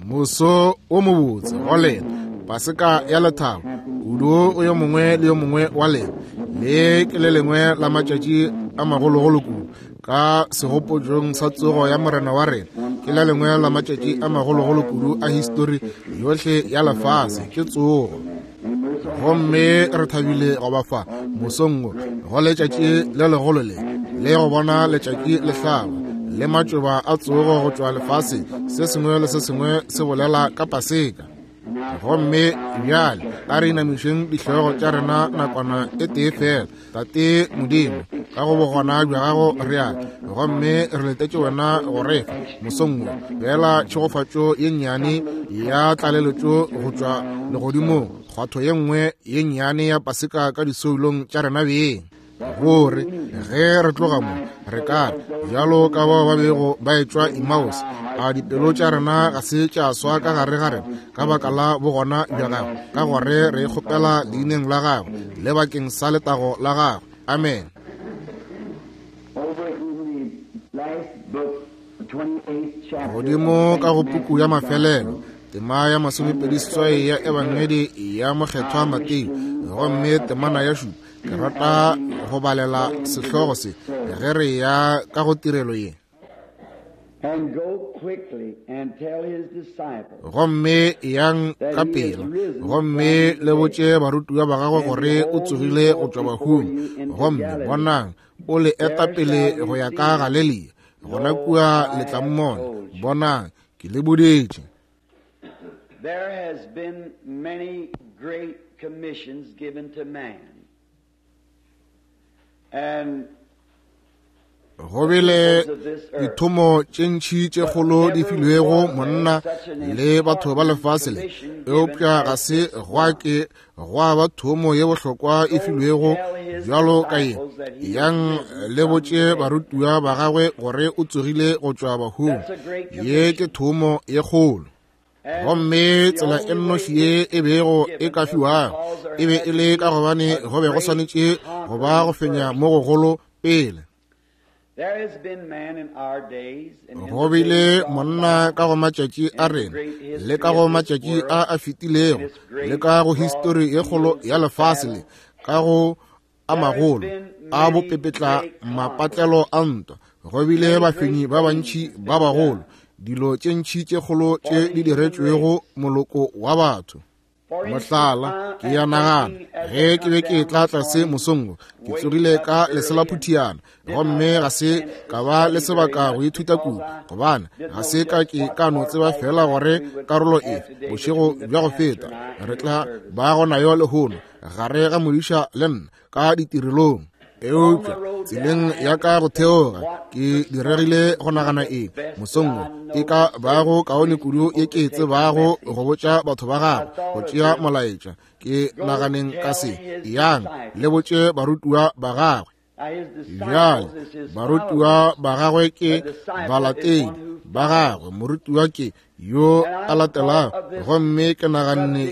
Moso o mobotse go lena, Paseka ya lethabo kudu go yo mongwe le yo mongwe wa lena. Le ke le lengwe la matšatši a magologolo kudu ka segopotšong sa tsogo ya Morena wa rena. Ke le lengwe la matšatši a magologolo kudu a histori yohle ya lefase, ke tsogo. Gomme re thabile go ba fa mosong wo go letšatši le legolo le, le go bona letšatši le hlaba le matšoba a tsogo go tšwa lefaseng, se sengwe le se sengwe se bolela ka Paseka. Gomme bjale a re inamišeng dihlogo tša rena nakwana e tee fela. Tate Modimo, ka go bogona bja gago re a gomme re letetše wena go re fa mosong wo feela tšhegofatšo ye nnyane ya tlaleletšo go tšwa legodimong, kgwatho ye nngwe ye nnyane ya Paseka ka disoulong tša rena beng, gore ge re tloga mo re ka re, bjalo ka bao ba bego ba etšwa Emmaus, a dipelo tša rena ga se tša swa ka gare ga rena ka baka la bogona bja gagwe, ka gore re kgopela leineng la gagwe le bakeng sa letago la gagwe. Amen. Godimo ka go puku ya mafelelo, tema ya masomepediseswai ya Ebangedi ya Mokgethwa Mateo, gomme temana ya šupa, ke rata go balela sehlogo se ge re ya ka go tirelo ye. Gomme yang ka pela, gomme le botše barutiwa ba gagwe gore o tsogile go tšwa bahung, gomme bonang, o le eta pele go ya ka Galelia, gona kua le tla mmona. Bonang, ke le boditše. There has been many great commissions given to man. And go bile dithomo tše ntši tše kgolo di filwego monna le batho ba lefase le, eupša ga se gwa ke gwa ba thomo ye bohlokwa e filwego bjalo ka ye. Yang le botše barutiwa ba gagwe gore o tsogile go tšwa bahung. Ye ke thomo ye kgolo. Gomme tsela e nnoši ye e bego e ka fiwago e be e le ka gobane go be go swanetše go ba go fenya mo gogolo pele. Go bile monna ka go matšatši a rena le ka go matšatši a a fetilego le ka go histori ye kgolo ya lefase le ka go a magolo a bopepetla mapatlelo a ntwa. Go bile bafenyi ba bantši ba bagolo, dilo tše ntši tše kgolo tše di diretšwego moloko wa batho. Mohlala, ke ya nagana ge ke be ke tla tlase mosong wo, ke tsogile ka leselaphuthiana, gomme ga se ka ba le sebaka go ithuta kudu, gobane ga se ka ke ka no tseba fela gore karolo efe bošego bja go feta re tla ba go nayo lehono gare ga modiša le nna ka ditirelong. Eupša tseleng ya ka go theoga ke diregile go nagana eng mosong wo e ka bago kaone kudu ye ke e tsebago go botša batho ba gago go tšea molaetša. Ke naganeng ka se, yang le botše barutiwa ba gagwe. Bjale barutiwa ba gagwe ke balatedi ba gagwe, morutiwa ke yo a latelago. Gomme ke naganne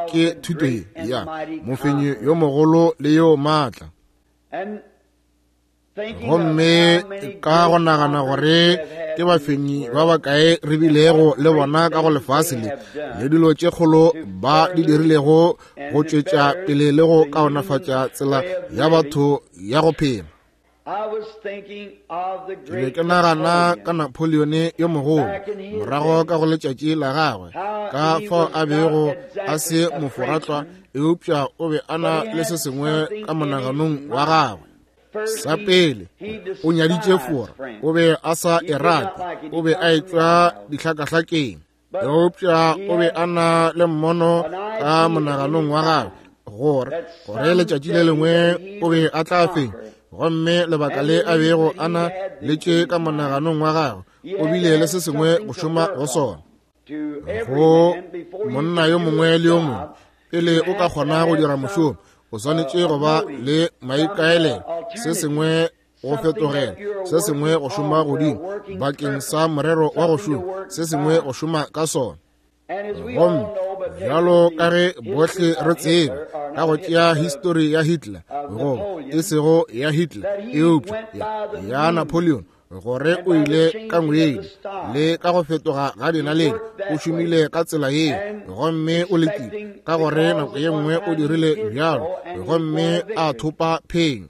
ke thuto ye ya mofenyi yo mogolo le yo maatla. Gomme ka go nagana gore ke bafenyi ba bakae re bilego le bona ka go lefase le, le dilo tše kgolo ba di dirilego go tšwetša pele le go kaonafatša tsela ya batho ya go phela. Ke be ke nagana ka Napoleon yo mogolo morago ka go letšatši la gagwe, ka fao a bego a se moforatlwa, eupša o be a na le se sengwe ka monaganong wa gagwe. Sa pele, o nyaditše Fora, o be a sa e rate, o be a etšwa dihlakahlakeng, eupša o be a na le mmono ka monaganong wa gagwe gore gore letšatši le lengwe o be a tla fenya. Gomme lebaka le a bego a na le tše ka monaganong wa gagwe, o bile le se sengwe go šoma go sona. Go monna yo mongwe le yo mongwe, pele o ka kgona go dira mošomo, o swanetše go ba le maikaelelo, se sengwe go fetogela, se sengwe go šoma godimo bakeng sa morero wa go šoma, se sengwe go šoma ka sona. Gomme bjalo ka ge bohle re tseba ka go tšea histori ya Hitler, goba e sego ya Hitler, eupša ya Napoleon, gore o ile ka ngwedi le ka go fetoga ga dinaledi, o šomile ka tsela yeo, gomme o lekile, ka gore nako ye nngwe o dirile bjalo, gomme a thopa phenyo.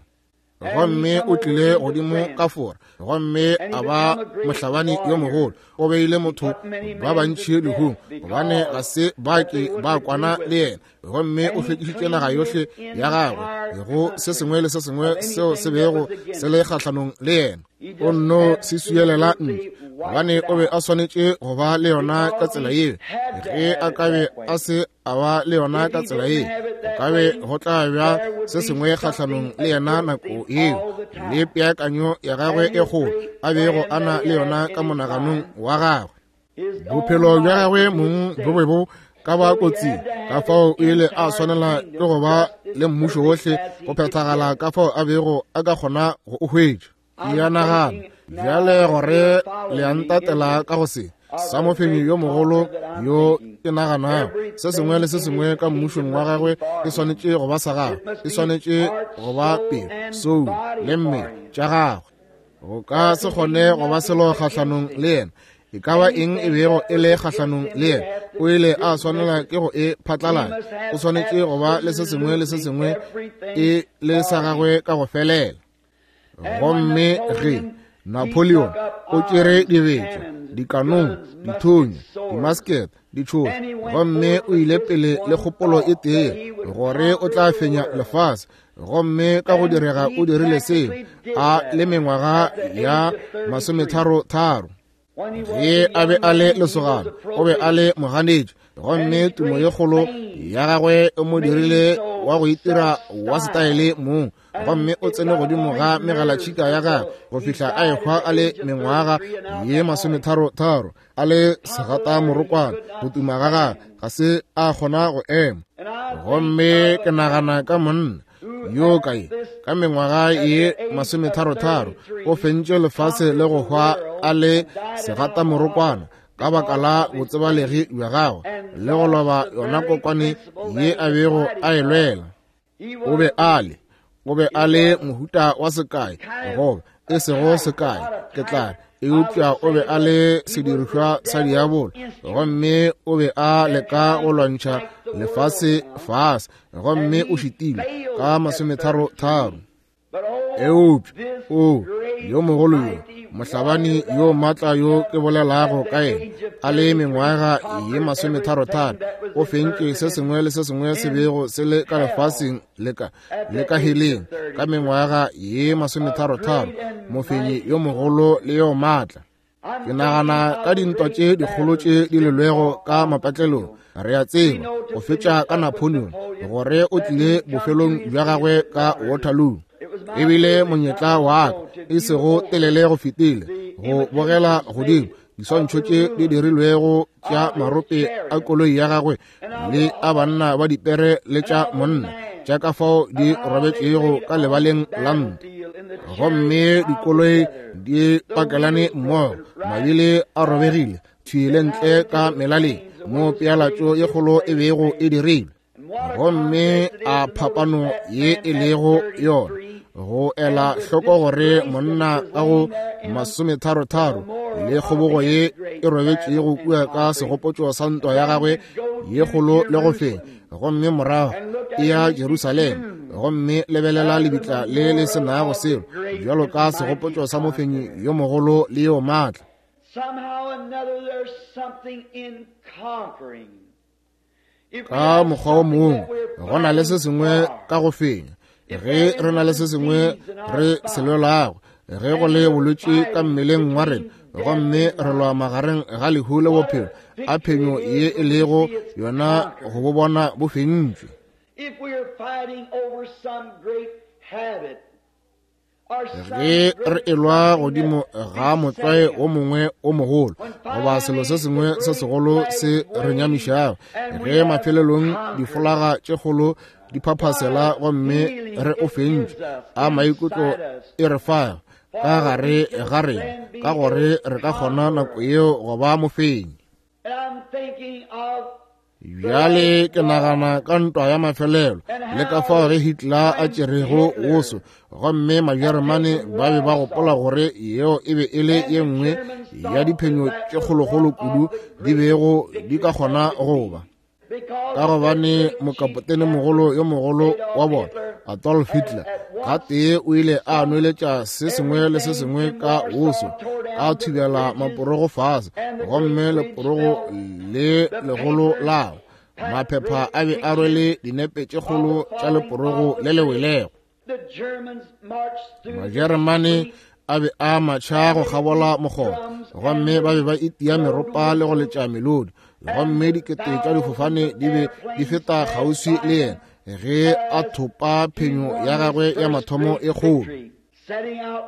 Gomme o tlile godimo ka Fora, gomme a ba mohlabani yo mogolo. O beile motho ba bantši lehung, gobane ga se ba ke ba kwana le yena. Gomme o hlwekišitše naga yohle ya gagwe go se sengwe le se sengwe seo se bego se le kgahlanong le yena. O nno se swielela ntle, gobane o be a swanetše go ba le yona ka tsela yeo. Ge a ka be a se a ba le yona ka tsela ye, go ka be go tla bja se sengwe kgahlanong le yena nako yeo, le peakanyo ya gagwe e kgolo a bego a na le yona ka monaganong wa gagwe. Bophelo bja gagwe mong bo be bo ka ba kotsing, ka fao o ile a swanela ke go ba le mmušo wohle go phethagala ka fao a bego a ka kgona go o hwetša. Ke a nagana bjale gore le a ntatela ka go se sa mofenyi yo mogolo yo ke naganago se sengwe le se sengwe ka mmušong wa gagwe e swanetše go ba sa gagwe, e swanetše go ba pelo, soulo le mmele tša gagwe. Go ka se kgone go ba selo kgahlanong le yena. E ka ba eng e bego e le kgahlanong le yena, o ile a swanela ke go e phatlalatša. O swanetše go ba le se sengwe le se sengwe e le sa gagwe ka go felela. Gomme ge Napoleon o tšere dibetša, dikanong, dithunya, dimasket, ditšhoša, gomme o ile pele le kgopolo e tee gore o tla fenya lefase, gomme ka go direga o dirile seo a le mengwaga ya 33. Ge a be a le lesogana, o be a le moganetši, gomme tumo ye kgolo ya gagwe e mo dirile wa go itira wa setaele mong, gomme o tsene godimo ga megalatšhika ya gagwe go fihla a ehwa a le mengwaga ye 33, a le segata morokwana. Go tuma ga gagwe ga se a kgona go ema. Gomme ke nagana ka monna yo kae ka mengwaga ye 33 o fentše lefase le go hwa a le segata morokwana ka baka la botsebalegi bja gagwe le go loba yona kokwane ye a bego a e lwela. O be a le, o be a le mohuta wa sekai, goba e sego sekai, ke tla re, eupša o be a le sedirišwa sa diabolo, gomme o be a leka go lwantšha lefase fase, gomme o šitilwe ka 33. Eupša o yo mogolo yo, mohlabani yo maatla yo ke bolelago ka yena, a le mengwaga ye 33, o fentše se sengwe le se sengwe se bego se le ka lefaseng le ka le ka heleng ka mengwaga ye 33, mofenyi yo mogolo le yo maatla. Ke nagana ka dintwa tše dikgolo tše di lelwego ka mapatlelong. Re a tseba go fetša ka Napoleon gore o tlile bofelong bja gagwe ka Waterloo. E bile monyetla wa ka e sego telele go fetile go bogela godimo diswantšho tše di dirilwego tša marope a koloi ya gagwe le a banna ba dipere le tša monna tša ka fao di robetšego ka lebaleng la ntwa, gomme dikoloi di pakelane mmogo, mabili a robegile thwi le ntle ka melaleng mo pealatšo ye kgolo e bego e dirilwe. Gomme a phapano ye e lego yona go ela hloko gore monna ka go 33 le kgobogo ye e robetšego kua ka segopotšo sa ntwa ya gagwe ye kgolo le go fenya, gomme morago e ya Jerusalema, gomme lebelela lebitla le le se nago selo bjalo ka segopotšo sa mofenyi yo mogolo le yo maatla. Ka mokgwa o mongwe go na le se sengwe ka go fenya. Ge re na le se sengwe re se lwelago, ge go le bolwetši ka mmeleng wa rena, gomme re lwa magareng ga lehu le bophelo, a phenyo ye e lego yona go bo bona bo fentšwe. Ge re elwa godimo ga motlwae o mongwe o mogolo goba selo se sengwe se segolo se re nyamišago, ge mafelelong difolaga tše kgolo di phaphasela gomme re o fentše, a maikutlo e re fago ka gare ga rena, ka gore re ka kgona nako yeo go ba mofenyi. Bjale ke nagana ka ntwa ya mafelelo le ka fao ge Hitler a tšerego woso, gomme Majeremane ba be ba gopola gore yeo e be e le ye nngwe ya diphenyo tše kgolokgolo kudu di bego di ka kgona go ba, ka gobane mokapotene mogolo yo mogolo wa bona Adolf Hitler gatee o ile a nweletša se sengwe le se sengwe ka woso, a thubela maporogo fase, gomme leporogo le legolo lao maphepha a be a rwele dinepe tše kgolo tša leporogo le le welego. Majeremane a be a matšha go kgabola mokgoba, gomme ba be ba itia meropa le go letša melodi, gomme dikete tša difofane di be di feta kgauswi le yena ge a thopa phenyo ya gagwe ya mathomo e kgolo.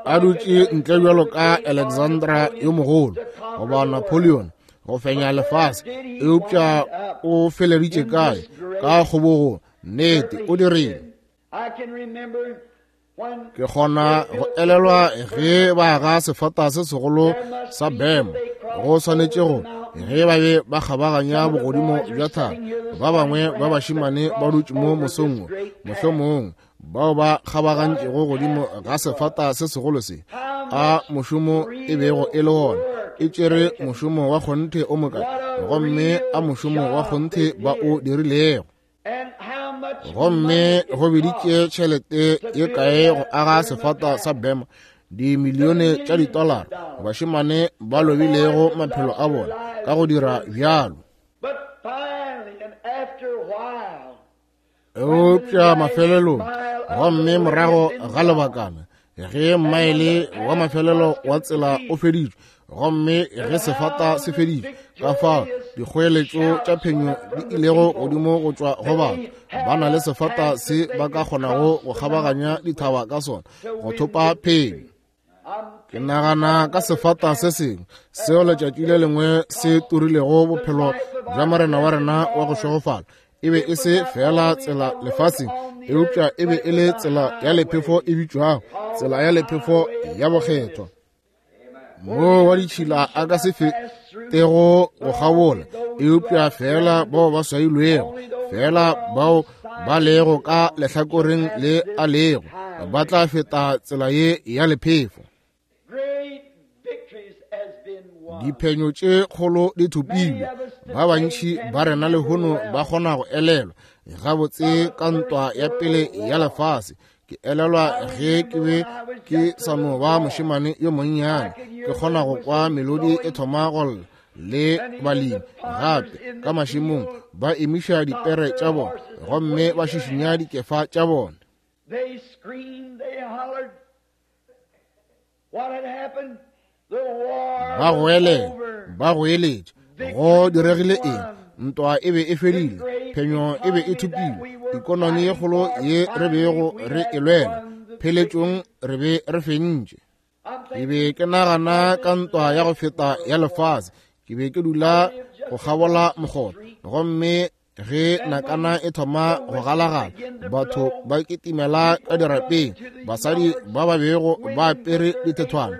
A dutše ntle bjalo ka Alexandra yo mogolo goba Napoleon go fenya lefase, eupša o feleditše kae? Ka kgobogo. Nnete, o dirile. Ke kgona go elelwa ge ba aga sefata se segolo sa bema go swanetše go ge ba be ba kgabaganya bogodimo bja thaba, ba bangwe ba bašemane ba dutše mo mosong wo, mohlomong bao ba kgabagantšego godimo ga sefata se segolo se, a mošomo e bego e le wona, e tšere mošomo wa kgonthe o mokae, gomme a mošomo wa kgonthe ba o dirilego. Gomme go biditše tšhelete ye kae go aga sefata sa bema? Dimilione tša ditolara, bašemane ba lobilego maphelo a bona ka go dira bjalo. Eupša mafelelong, gomme morago ga lebakana, ge mmaele wa mafelelo wa tsela o feditšwe, gomme ge sefata se feditšwe, ka fao dikgoeletšo tša phenyo di ilego godimo go tšwa go batho ba na le sefata se ba ka kgonago go kgabaganya dithaba ka sona go thopa phenyo. Ke nagana ka sefata se sengwe seo letšatši le lengwe se turilego bophelo bja Morena wa rena wa go šegofala. E be e se feela tsela lefaseng, eupša e be e le tsela ya lephefo e bitšwago tsela ya lephefo ya bokgethwa, moo wa ditšhila a ka se fetego go kgabola, eupša feela bao ba swailwego, feela bao ba lego ka lehlakoreng le a lego, ba tla feta tsela ye ya lephefo. Diphenyo tše kgolo di thopilwe. Ba bantši ba rena lehono ba kgona go elelwa gabotse ka ntwa ya pele ya lefase. Ke elelwa ge ke be ke sa no ba mošemane yo monnyane, ke kgona go kwa melodi e thoma go lla le balemi gape ka mašemong ba emiša dipere tša bona gomme ba šišinya dikefa tša bona. Ba goelela, ba goeletša, go diregile eng? Ntwa e be e fedile, phenyo e be e thopilwe, ikonomi ye kgolo ye re bego re e lwela, pheletšong re be re fentše. Ke be ke nagana ka ntwa ya go feta ya lefase. Ke be ke dula go kgabola mokgotha, gomme ge nakana e thoma go galagala, batho ba kitimela ka dirapeng, basadi ba ba bego ba apere dithethwana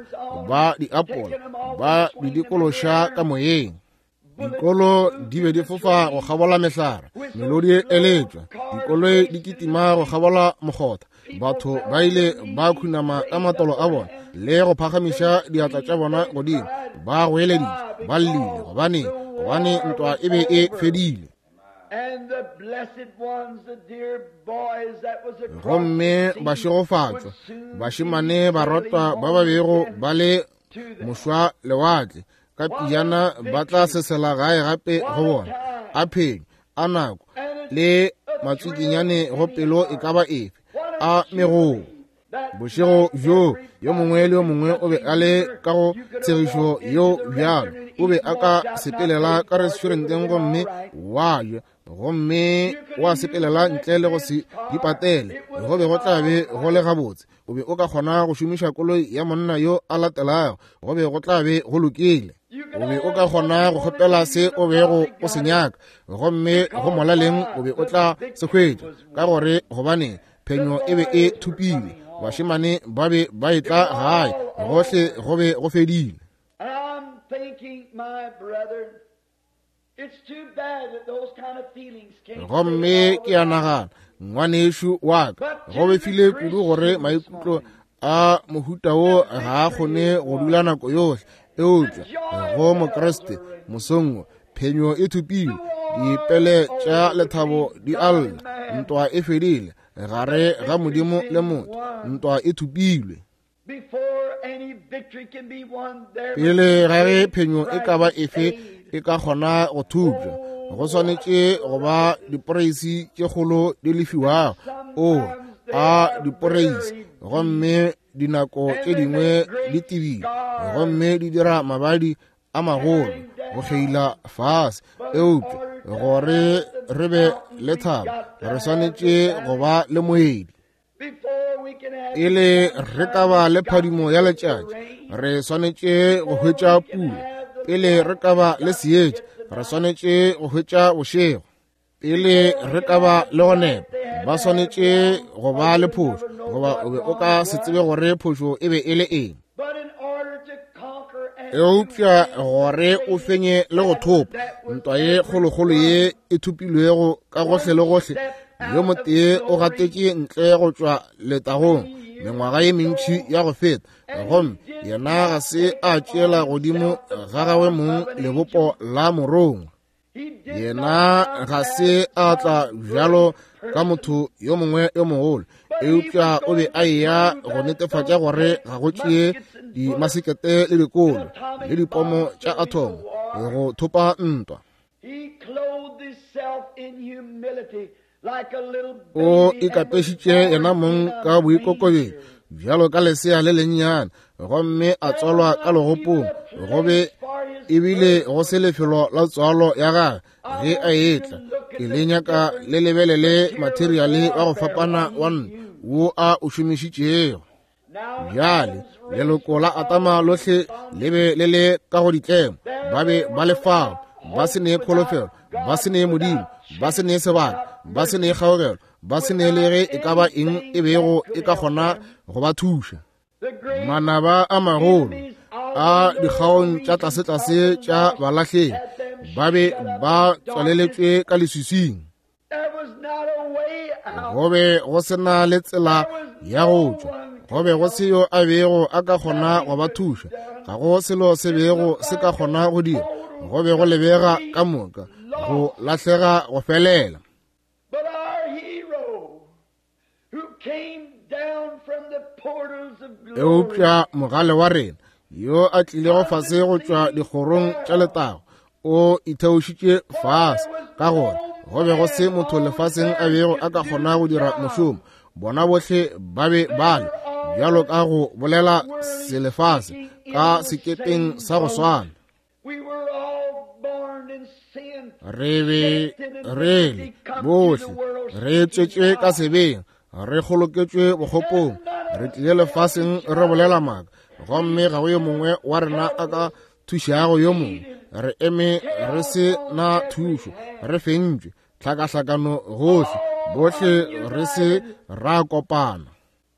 ba di apola ba di dikološa ka moyeng. Dikolo di be di fofa go kgabola mehlare, melodi e eletšwa, dikoloi di kitima go kgabola mokgotha. Batho ba ile ba khunama ka matolo a bona le go phagamiša diatla tša bona godimo, ba goeleditše, ba llile. Gobane, gobane ntwa e be e fedile. Gomme bašegofatšwa bašemane barotwa ba ba bego ba le mošwa lewatle ka pijana ba tla sesela gae gape go bona. A phenyo, a nako le matswikinyane go pelo e ka ba efe, a megoo. Bošego bjo yo mongwe le yo mongwe o be a le ka go tshegišo yeo bjalo, o be a ka sepelela ka restauranteng gomme wa ja, gomme wa sepelela ntle le go se di patele, go be go tla be go le gabotse. O be o ka kgona go šomiša koloi ya monna yo a latelago, go be go tla be go lokile. O be o ka kgona go kgopela se o bego o se nyaka, gomme go molaleng o be o tla se hwetša, ka gore gobane phenyo e be e thopilwe. Bašemane ba be ba etla gae, gohle go be go fedile. Gomme ke a nagana, ngwanešu wa ka, go befile kudu gore maikutlo a mohuta wo ga a kgone go dula nako yohle. Eupša go Mokriste mosong wo, phenyo e thopilwe, dipele tša lethabo di a lla, ntwa e fedile gare ga Modimo le motho, ntwa e thopilwe. Pele ga ge phenyo e ka ba efe e ka kgona go thupša, go swanetše go ba diporeisi tše kgolo di lefiwago. O a diporeisi, gomme dinako tše dingwe di tebile, gomme di dira mabadi a magolo go kgeila fase. Eupša gore re be le thabo, re swanetše go ba le moedi. Pele re ka ba le phadimo ya letšatši, re swanetše go hwetša pula. Pele re ka ba le seetša, re swanetše go hwetša bošego. Pele re ka ba le go nepa, ba swanetše go ba le phošo, goba o be o ka se tsebe gore phošo e be e le eng. Eupša gore o fenye le go thopa ntwa ye kgolokgolo ye e thopilwego ka gohle le gohle, yo motee o gatetše ntle go tšwa letagong mengwaga ye mentši ya go feta, gomme yena ga se a tšeela godimo ga gagwe mong lebopo la morongwa. Yena ga se a tla bjalo ka motho yo mongwe yo mogolo, eupša o be a eya go netefatša gore ga go tšee dimasekete le dikolo le dipomo tša athomo go thopa ntwa. O ikapešitše yena mong ka boikokobetšo bjalo ka lesea le lennyane, gomme a tswalwa ka legopong, go be ebile go se lefelo la tswalo ya gagwe ge a etla. Ke le nyaka le lebelele materiale wa go fapana wa ntwa wo a o šomišitšego. Bjale leloko la Atama lohle le be le le ka go ditlemo, ba be ba le fao, ba se ne kholofelo, ba se ne Modimo, ba se ne sebaka, ba se ne kgaogelo, ba se ne le ge e ka ba eng e bego e ka kgona go ba thuša. Manaba a magolo a dikgaong tša tlasetlase tša balahlegi ba be ba tswaleletšwe ka leswiswing. Go be go se na le tsela ya go tšwa, go be go se yo a bego a ka kgona go ba thuša, ga go selo se bego se ka kgona go dira, go be go lebega ka moka go lahlega go felela. Eupša mogale wa rena yo a tlilego fase go tšwa dikgorong tša letago o itheošitše fase, ka gore go be go se motho lefaseng a bego a ka kgona go dira mošomo. Bona bohle ba be ba le bjalo ka go bolela selefase ka sekepeng sa go swana. Re be re le bohle re tswetšwe ka sebeng, re kgoloketšwe bokgopong, re tlile lefaseng re bolela maaka, gomme ga go yo mongwe wa rena a ka thušago yo mongwe. Re eme re se na thušo, re fentšwe, tlhakahlakano gohle, bohle re se ra kopana.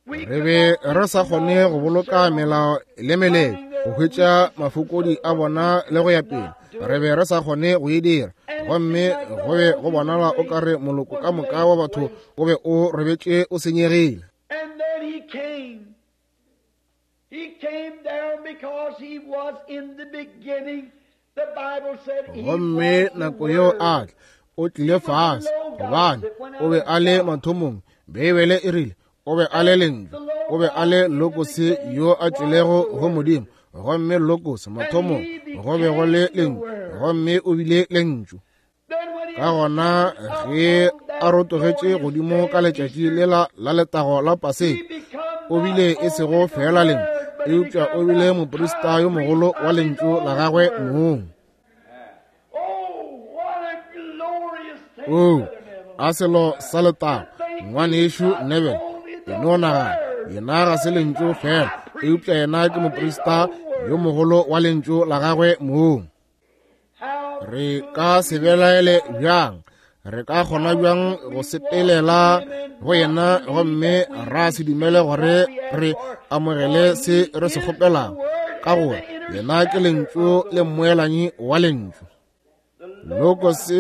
Re be re sa kgone go boloka melao le meletlo, go hwetša mafokodi a bona le go ya pele. Re be re sa kgone go e dira, gomme go be go bonala o ka re moloko ka moka wa batho o be o robetše o senyegile. Gomme nako yeo a tla, o tlile fase, gobane o be a le mathomong. Beibele e rile o be a le Lentšu, o be a le Logos yo a tlilego go Modimo, gomme Logos mathomong go be go le Lentšu, gomme o bile Lentšu. Ka gona ge a rotogetše godimo ka letšatši lela la letago la Paseka, o bile e sego feela Lentšu, eupša o bile moprista yo mogolo wa Lentšu la gagwe mong. Oo, a selo sa letago, ngwanešu Neville, e no nagana, yena ga se Lentšu feela, eupša yena ke moprista yo mogolo wa Lentšu la gagwe mong. Re ka se belaele bjang? Re ka kgona bjang go sepelela go yena gomme ra se dumele gore re amogele se re se kgopelago? Ka gore yena ke Lentšu le mmoelanyi wa Lentšu. Logos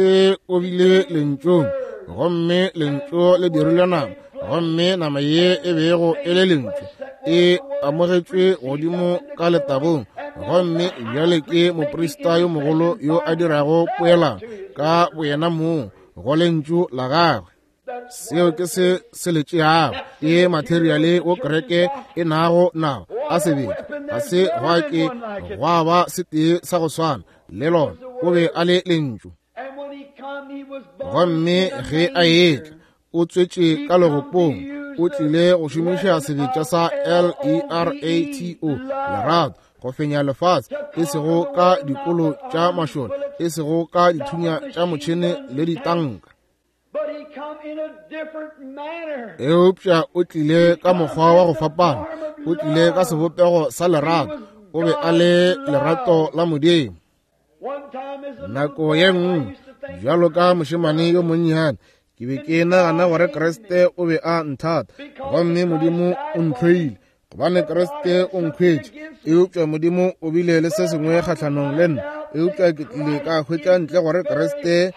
o bile Lentšung, gomme Lentšu le dirilwe nama, gomme nama ye e bego e le Lentšu e amogetšwe godimo ka letagong, gomme bjale ke moprista yo mogolo yo a dirago poelano ka boyena mong go Lentšu la gagwe. Seo ke se se le tšeago, ke materiale wo kereke e nago nao a sebetša. Ga se gwa ke gwa ba setee sa go swana le lona. O be a le Lentšu. Gomme ge a etla, o tswetše ka legopong, o tlile go šomiša sebetša sa L-E-R-A-T-O, lerato, go fenya lefase, e sego ka dikolo tša mašole, e sego ka dithunya tša motšhene le ditanka. Eupša o tlile ka mokgwa wa go fapana, o tlile ka sebopego sa lerato, o be a le lerato la Modimo. Nako ye nngwe, bjalo ka mošemane yo monnyane, ke be ke nagana gore Kriste o be a nthata, gomme Modimo o ntlhoile, gobane Kriste o nkhwetše. Eupša Modimo o bile le se sengwe kgahlanong le nna, eupša ke tlile ka hwetša ntle gore Kriste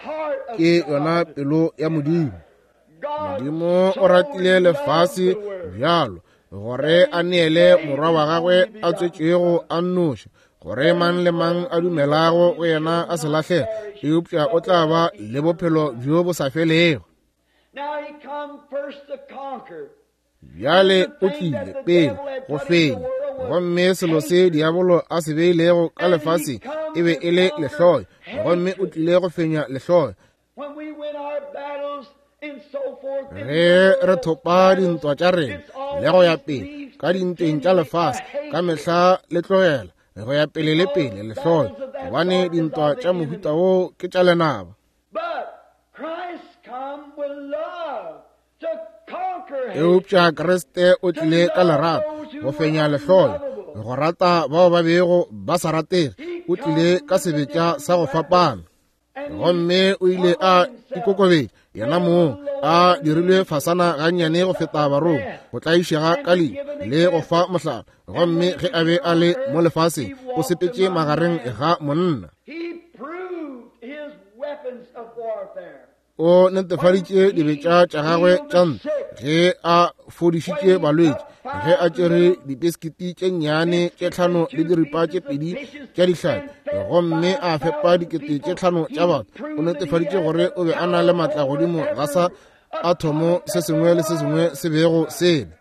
ke yona pelo ya Modimo. Modimo o ratile lefase bjalo gore a neele morwa wa gagwe a tswetšwego a nnoši, gore mang le mang a dumelago go yena a se lahlege, eupša o tla ba le bophelo bjo bo sa felego. Bjale o tlile pele go fenya, gomme selo se diabolo a se beilego ka lefaseng e be e le lehloyo, gomme o tlile go fenya lehloyo. Ge re thopa dintwa tša rena le go ya pele ka dintweng tša lefase, ka mehla le tlogela go ya pele le pele lehloyo, gobane dintwa tša mohuta wo ke tša lenaba. Eupša Kriste o tlile ka lerato go fenya lehloyo, go rata bao ba bego ba sa ratege. O tlile ka sebetša sa go fapana, gomme o ile a ikokobetša yena mong, a dirilwe fasana gannyane go feta barongwa, go tlaišega ka lehu le go fa mohlala. Gomme ge a be a le mo lefaseng, o sepetše magareng ga monna. O netefaditše dibetša tša gagwe tša ntwa ge a fodišitše balwetši, ge a tšere dipiskiti tše nnyane tše tlhano le diripa tše pedi tša dihlapi gomme a fepa 5 000 tša batho. O netefaditše gore o be a na le maatla godimo ga sa athomo se sengwe le se sengwe se bego se le.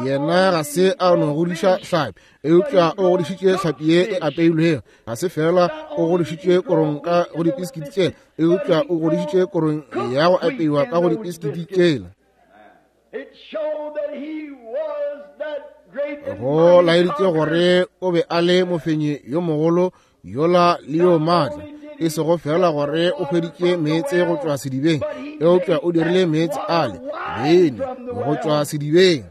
Yena ga se a no godiša hlapi, eupša o godišitše hlapi ye e apeilwego. Ga se fela o godišitše korong ka go dipiskiti tšela, eupša o godišitše korong ya go apeiwa ka go dipiskiti tšela. Go laeditše gore o be a le mofenyi yo mogolo yola le yo maatla, e sego fela gore o hweditše meetse go tšwa sedibeng, eupša o dirile meetse ale beine go tšwa sedibeng.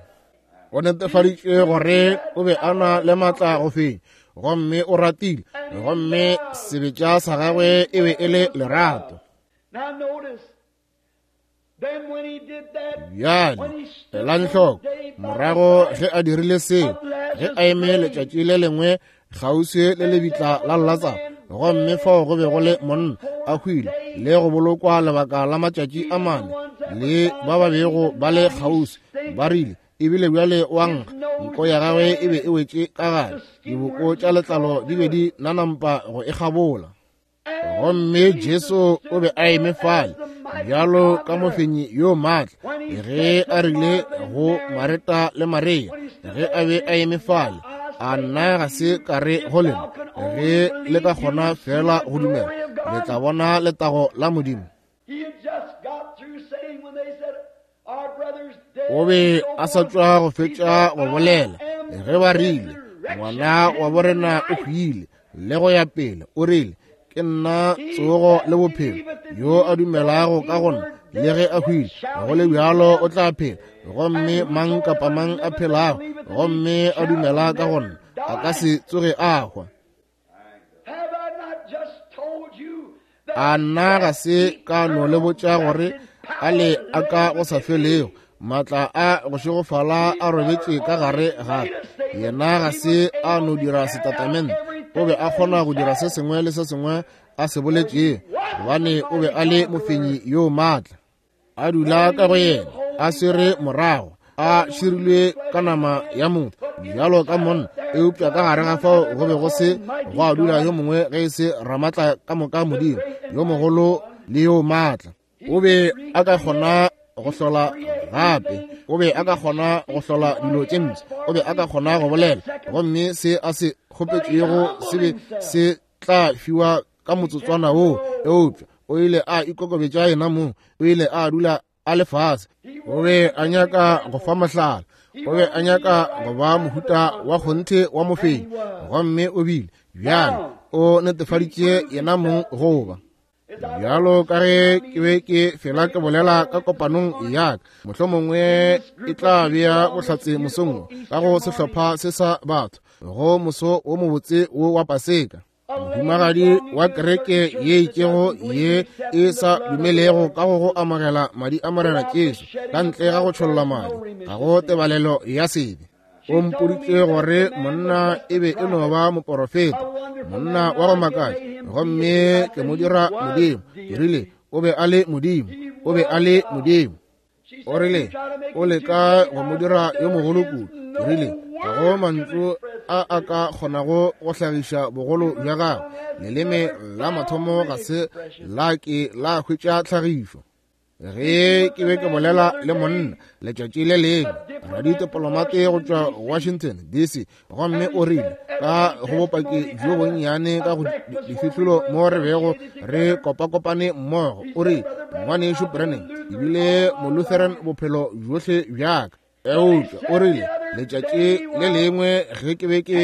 O netefaditše gore o be a na le maatla go fenya, gomme o ratile, gomme sebetša sa gagwe e be e le lerato. Bjale elang hloko, morago ge a dirile seo, ge a eme letšatši le lengwe kgauswi le lebitla la Latsaro, gomme fao go be go le monna a hwile le go bolokwa lebaka la matšatši a mane, le ba ba bego ba le kgauswi ba rile, ebile bjale wa nkga, nko ya gagwe e be e wetše ka gare, diboko tša letlalo di be di nanampa go e kgabola. Gomme Jesu o be a eme fale bjalo ka mofenyi yo maatla, ge a rile go Mareta le Maria, ge a be a eme fale, a nna ga se ka re go lena, ge le ka kgona fela go dumela, le tla bona letago la Modimo. O be a sa tšwa go fetša go bolela ge ba rile, ngwana wa borena o hwile, le go ya pele. O rile, ke nna tsogo le bophelo, yo a dumelago ka go nna, le ge a hwile, go le bjalo o tla phela. Gomme mang kapa mang a phelago gomme a dumela ka go nna a ka se tsoge a hwa. A nna ga se ka no le botša gore a le a ka go sa felego maatla a go šegofala a robetše ka gare ga yena? Ga se a no dira setatamente, o be a kgona go dira se sengwe le se sengwe a se boletšego. gobane o be a le mofenyi yo maatla. A dula ka go yena, a swere morago, a širilwe ka nama ya motho bjalo ka monna, eupša ka gare ga fao go be go se gwa dula yo mongwe ge e se Ramatla ka moka Modimo yo mogolo le yo maatla. O be a ka kgona go hlola gape, o be a ka kgona go hlola dilo tše mpsha, o be a ka kgona go bolela, gomme se a se kgopetšego se be se tla fiwa ka motsotswana woo. Eupša o ile a ikokobetša yena mong, o ile a dula a le fase. O be a nyaka go fa mohlala, o be a nyaka go ba mohuta wa kgonthe wa mofenyi, gomme o bile. Bjale o netefaditše yena mong go ba. Bjalo ka ge ke be ke fela ke bolela ka kopanong ya ka, mohlomongwe e tla bea bohlatse mosong wo ka go sehlopha se sa batho go moso wo mobotse wo wa Paseka. Mohumagadi wa kereke ye itšego ye e sa dumelego ka go go amogela madi a Morena Jesu ka ntle ga go tšholla madi, ga go tebalelo ya sebe. O mpoditše gore monna e be e no ba moporofeta, monna wa go makatša, gomme ke mo dira Modimo. Ke rile, o be a le Modimo, o be a le Modimo. O rile, o leka go mo dira yo mogolo kudu. Ke rile, ga go mantšu a a ka kgonago go hlagiša bogolo bja gagwe. Leleme la mathomo ga se la ke la hwetša tlhagišo. Ge ke be ke bolela le monna letšatši le lengwe, raditopolomate go tšwa Washington DC, gomme o rile ka go bopaki bjo bonnyane ka go difihlolo mo re bego re kopakopane mmogo, o rile, Ngwanešu Branham, ke bile Molutheran bophelo bjohle bja ka. Eupša o rile, letšatši le lengwe ge ke be ke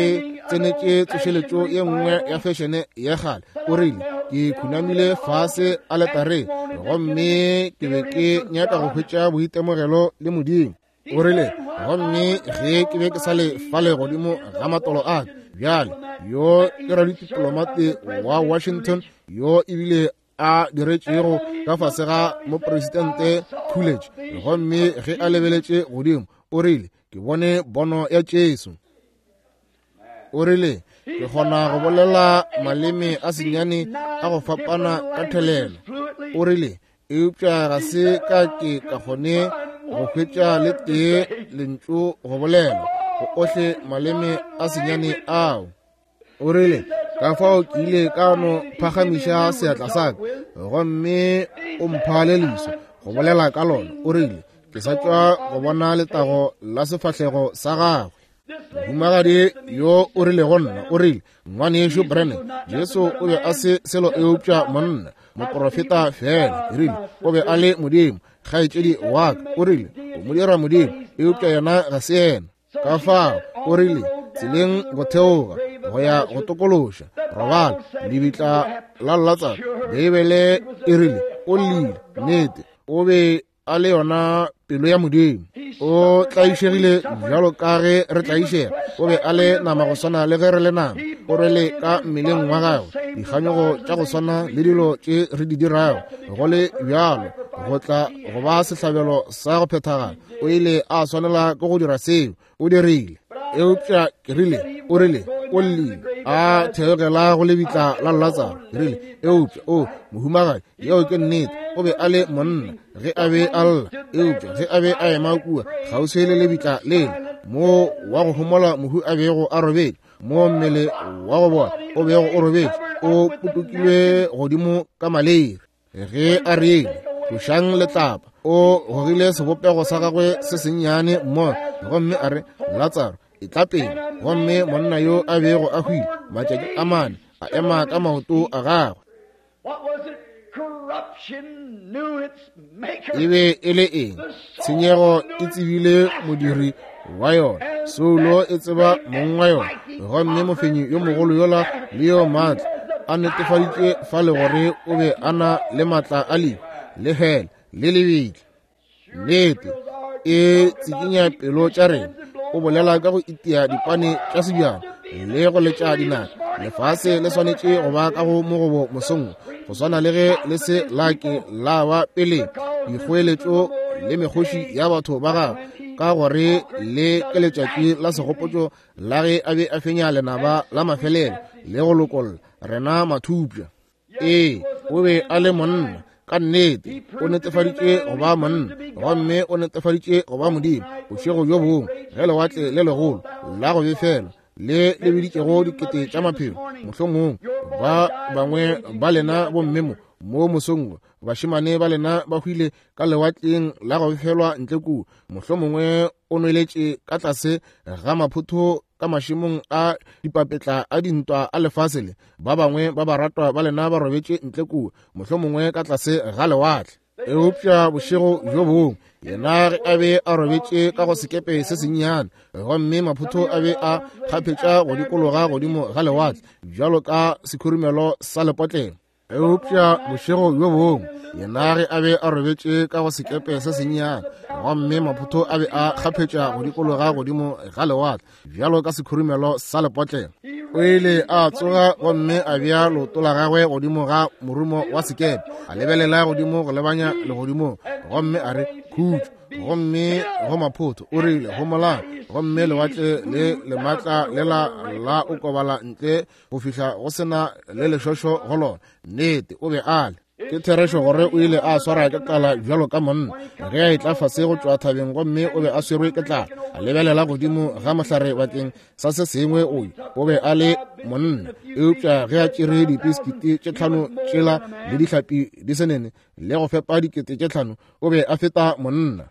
tsenetše tsošeletšo ye nngwe ya fešene ya kgale, o rile, ke khunamile fase aletareng gomme ke be ke nyaka go hwetša boitemogelo le Modimo. O rile, gomme ge ke be ke sa le fale godimo ga matolo a ka, bjale yo ke raditipolomate wa Washington yo ebile a diretšego ka fase ga mopresidente Coolidge, gomme ge a lebeletše godimo, o rile, ke bone bono ya Jesu. O rile, ke kgona go bolela maleme a senyane a go fapana ka thelelo. O rile, eupša ga se ka ke ka kgone go hwetša le tee lentšu go bolela go ohle maleme a senyane ao. O rile, ka fao ke ile ka no phagamiša seatla sa ka, gomme o mpha le leso go bolela ka lona. O rile, ke sa tšwa go bona letago la sefahlego sa gagwe. Mohumagadi yo o rile go nna, o rile, Ngwanešu Branham, Jesu o be a se selo eupša monna, moprofeta feela. Ke rile, o be a le Modimo, kgaetšedi wa ka. O rile, o mo dira Modimo, eupša yena ga se yena. Ka fao, o rile, tseleng go theoga go ya go tokološa robala lebitla la Latsaro, Beibele e rile o llile. Nnete, o be a le yona pelo ya Modimo. O tlaišegile bjalo ka ge re tlaišega. O be a le nama go swana le ge re le nama. O rwele ka mmeleng wa gagwe dikganyogo tša go swana le dilo tše re di dirago. Go le bjalo, go tla go ba sehlabelo sa go phethagala. O ile a swanela ke go dira seo. O dirile. Eupša ke rile, o rile, o llile, a theogela go lebitla la Latsaro. Ke rile, eupša, o, mohumagadi, yeo ke nnete, o be a le monna ge a be a lla, eupša ge a be a ema kua kgauswi le lebitla lela, moo wa go homola mohu a bego a robetše, moo mmele wa go bola o bego o robetše, o potokilwe godimo ka malere. Ge a rile, tlošang letlapa, o gogile sebopego sa gagwe se sennyane mmogo, gomme a re, Latsaro, etla pele. Gomme monna yo a bego a hwile matšatši a mane a ema ka maoto a gagwe. E be e le eng? Tshenyego e tsebile modiri wa yona, soulo e tseba mong wa yona. Gomme mofenyi yo mogolo yola le yo maatla a netefaditše fale gore o be a na le maatla a lehu le hele le lebitla. Nnete e tsikinya pelo tša rena. O bolela ka go itia dipane tša sebjana le go letša dinaka. Lefase le swanetše go ba ka go mogobo mosong, go swana le ge le se la ke la ba peleng. Dikgoeletšo le mekgoši ya batho ba gagwe, ka gore le ke letšatši la segopotšo la ge a be a fenya lenaba la mafelelo le go lokolla rena mathupša. Ee, O be a le monna ka nnete, o netefaditše go ba monna, gomme o netefaditše go ba Modimo. Bošego bjo bongwe ge lewatle le legolo la go befela le le biditšego dikete tša maphelo, mohlomong ba bangwe ba lena bomme mo mo mosong, bašemane ba lena ba hwile ka lewatleng la go befelwa ntle kua, mohlomongwe o nweletše ka tlase ga maphotho ka mašemong a dipapetla a dintwa a lefase le ba bangwe ba baratwa ba lena ba robetše ntle kua, mohlomongwe ka tlase ga lewatle. Eupša bošego bjo bongwe yena ge a be a robetše ka go sekepe se sennyane, gomme maphotho a be a kgaphetša go dikologa godimo ga lewatle bjalo ka sekhurumelo sa lepotlelo. Eupša bošego bjo bongwe yena ge a be a robetše ka go sekepe se sennyane, gomme maphotho a be a kgaphetša go dikologa godimo ga lewatle bjalo ka sekhurumelo sa lepotlelo, o ile a tsoga gomme a bea leoto la gagwe godimo ga morumo wa sekepe, a lebelela godimo go lebanya legodimong, gomme a re, Khutšo. Gomme go maphotho o rile, Homolang. Gomme lewatle le lematla lela la okobala ntle go fihla go sena le lešošo go lona. Nnete, o be a le. Ke therešo gore o ile a swara ke tlala bjalo ka monna ge a etla fase go tšwa thabeng, gomme o be a swerwe ke tlala. A lebelela godimo ga mohlare bakeng sa se sengwe, o o be a le monna. Eupša ge a tšere dipiskiti tše tlhano tšela le dihlapi di se nene le go fepa 5000, o be a feta monna.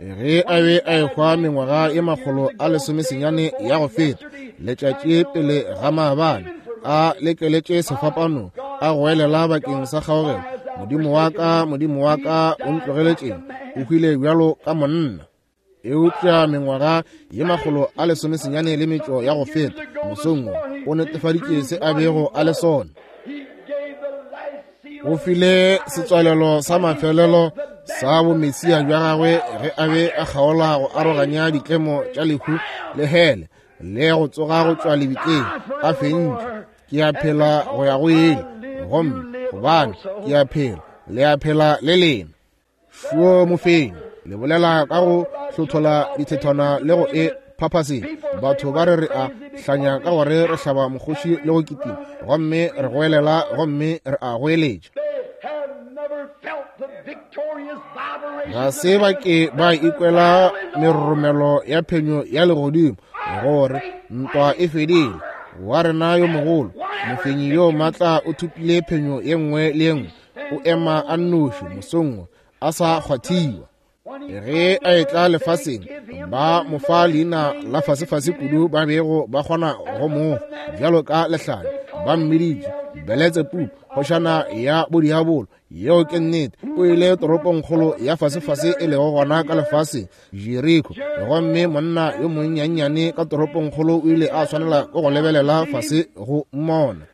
Ge a be a ehwa mengwaga ye 119 ya go feta, letšatši pele ga maabane, a lekeletše sefapano, a goelela bakeng sa kgaogelo, Modimo wa ka, Modimo wa ka, o ntlogeletšeng? O hwile bjalo ka monna. Eupša mengwaga ye 195 ya go feta, mosong wo, o netefaditše se a bego a le sona. O file setswalelo sa mafelelo sa bomesia bja gagwe ge a be a kgaola go aroganya ditlemo tša lehu le hele le go tsoga go tšwa lebitleng a fentše. Ke a phela go ya go ile, gomme gobane ke a phela, le a phela le lena. Šuo mofenyi le bolela ka go hlothola dithethwana le go e phaphaseng. Batho ba re re a hlanya ka gore re hlaba mokgoši le go kitima, gomme re goelela gomme re a goeletša. Ga se ba ke ba ikwela meroromelo ya phenyo ya legodimo gore ntwa e fedile. Wa rena yo mogolo mofenyi yo matla o thopile phenyo ye nngwe le ye nngwe. O ema a nnoši mosong wo, a sa kgwathiwa. Ge a etla lefaseng, ba mo fa leina la fasefase kudu ba bego ba kgona go mo fa, bjalo ka lehlanya. Ba mmiditše Beletsebubu, kgošana ya bodiabolo. Yeo ke nnete. O ile toropongkgolo ya fasefase e lego gona ka lefaseng, Jeriko. Gomme monna yo monnyannyane ka toropongkgolo o ile a swanela ke go lebelela fase go mmona.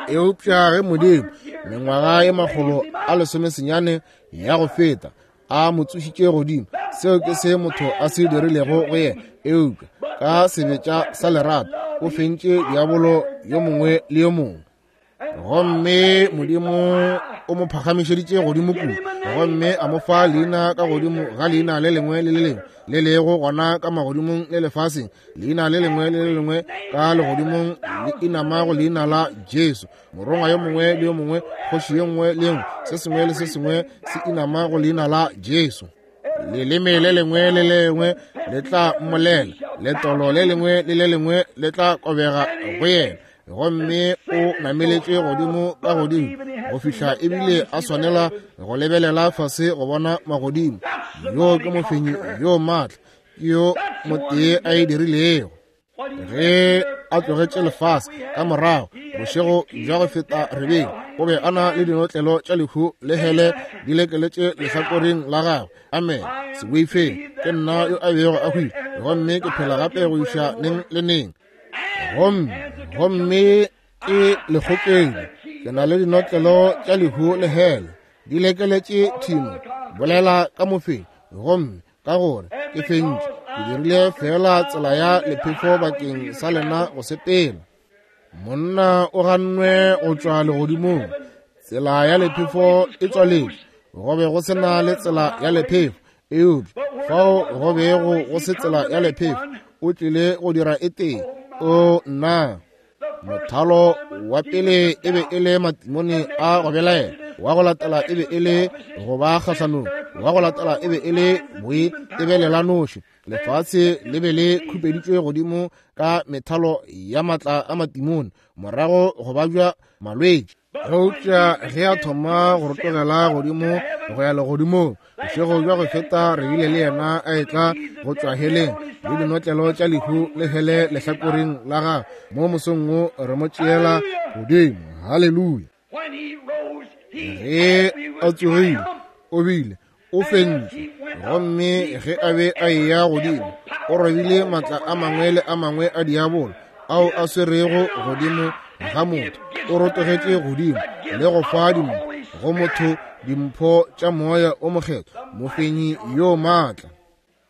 Eupša ge Modimo, mengwaga ye 190 ya go feta, a mo tsošitše godimo, seo ke se motho a se dirilego go yena. Eupša ka sebetša sa lerato o fentše diabolo yo mongwe le yo mongwe. Gomme Modimo o mo phagamišeditše godimo kudu, gomme a mo fa leina ka godimo ga leina le lengwe le le lengwe le lego gona ka magodimong le lefaseng, leina le lengwe le le lengwe ka legodimong le inama go leina la Jesu. Morongwa yo mongwe le yo mongwe, kgoši ye nngwe le ye nngwe, se sengwe le se sengwe se inama go leina la Jesu. Leleme le lengwe le le lengwe le tla mmolela, letolo le lengwe le le lengwe le tla kobega go yena. Gomme o nameletše godimo ka godimo go fihla ebile a swanela go lebelela fase go bona magodimo. Yo ke mofenyi yo maatla, ke yo motee a e dirilego. Ge a tlogetše lefase ka morago bošego bja go feta rebeng, o be a na le dinotlelo tša lehu le hele di lekeletše lehlakoreng la gagwe. Amen. Se boifeng, ke nna yo a bego a hwile, gomme ke phela gape go iša neng le neng. Gomme, gomme ke lekgokedi, ke na le dinotlelo tša lehu le hele di lekeletše thimo. Bolela ka mofenyi, gomme ka gore ke fentše, ke dirile fela tsela ya lephefo bakeng sa lena go sepela. Monna o gannwe go tšwa legodimong, tsela ya lephefo e tswaletšwe, go be go se na le tsela ya lephefo. Eupša fao go bego go se tsela ya lephefo, o tlile go dira e tee. O nna! Mothalo wa pele e be e le matimone a go belaela, wa go latela e be e le go ba kgahlanong, wa go latela e be e le boitebelelanoši. Lefase le be le khupeditšwe godimo ka methalo ya matla a matimone, morago go babja malwetši. Eupša ge a thoma go rotogela godimo go ya legodimong, bošego bja go feta re bile le yena a etla go tšwa heleng le dinotlelo tša lehu le hele lehlakoreng la gagwe. Mo mosong wo re mo tšeela godimo. Haleluya! Ge a tsogile, o bile o fentše, gomme ge a be a eya godimo o robile matla a mangwe le a mangwe a diabolo ao a swerego godimo ga motho. O rotogetše godimo le go fa dimpho go motho, dimpho tša moya o mokgethwa, mofenyi yo maatla.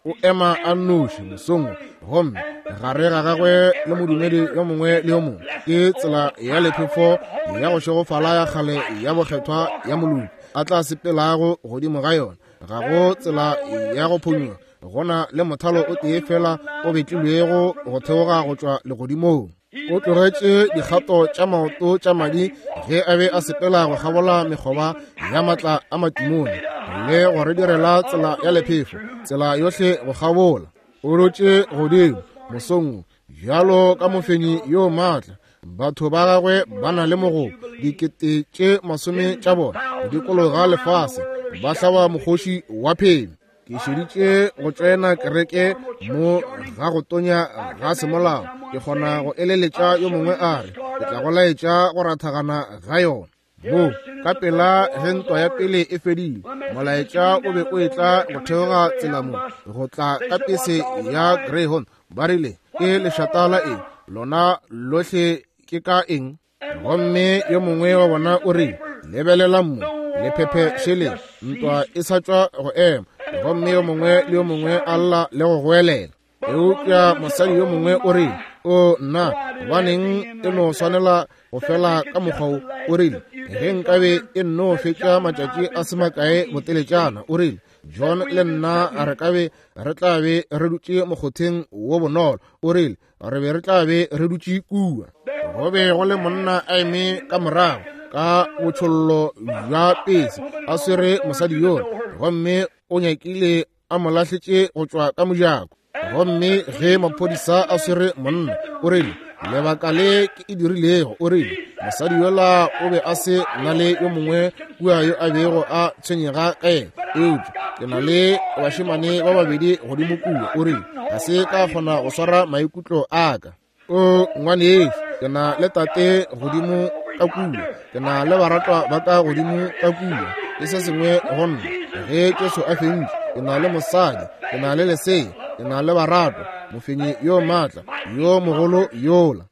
O ema a nnoši mosong, gomme gare ga gagwe le modumedi yo mongwe le yo mongwe ke tsela ya lephefo ya go šegofala ya kgale ya bokgethwa ya moloki a tla sepelago godimo ga yona. Ga go tsela ya go phonywa, go na le mothalo o tee fela o betlilwego go theoga go tšwa legodimong. O tlogetše dikgato tša maoto tša madi ge a be a sepela go kgabola mekgoba ya matla a matimone le go re direla tsela ya lephefo, tsela yohle go kgabola. O rotše godimo mosong bjalo ka mofenyi yo maatla. Batho ba gagwe ba na le mogopo, dikete tše masome tša bona go dikologa lefase ba hlaba mokgoši wa phenyo. Ke šeditše go tšoena kereke mo ga go tonya ga semolao. Ke kgona go eleletša yo mongwe a re, ke tla go laetša go rathagana ga yona. Mo, ka pela ge ntwa ya pele e fedile, molaetša o be o etla go theoga tsela mo, go tla ka pese ya Greyhound. Ba rile, ke lešata la eng? Lona lohle ke ka eng? Gomme yo mongwe wa bona o rile, lebelelang mo, lephephe šele, ntwa e sa tšwa go ema. Gomme yo mongwe le yo mongwe a lla le go goelela. Eupša mosadi yo mongwe o rile, o nna, gobaneng e no swanela go fela ka mokgwa wo? O rile, ge nkabe e nno fetša matšatši a se makae boteletšana, o rile, John le nna re ka be re tla be re dutše mokgotheng wo bonolo. O rile, re be re tla be re dutše kua. Go be go le monna a eme ka morago ka botšhollo bja pese a swere mosadi yola, gomme o nyakile a mo lahletše go tšwa ka mojako. Gomme ge maphodisa a swere monna, o rile, lebaka le ke e dirilego, o rile, mosadi yola o be a se na le yo mongwe kua yo a bego a tshwenyega ka yena, eupša ke na le bašemane ba babedi godimo kua. O rile, ga se ka kgona go swara maikutlo a ka. O ngwanešu, ke na le tate godimo ka kua, ke na le baratwa ba ka godimo ka kua, ke se sengwe go nna. Ge Jesu a fentše, ke na le mosadi, ke na le lesea, ke na le baratwa, mofenyi yo maatla yo mogolo yola.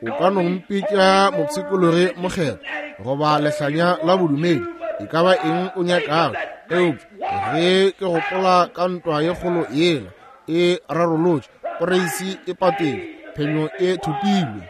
O ka no mpitša mopshikologi mokgethwa goba lehlanya la bodumedi, e ka ba eng o nyakago, eupša ge ke gopola ka ntwa ye kgolo yela e rarolotše, poreisi e patetšwe, phenyo e thopilwe.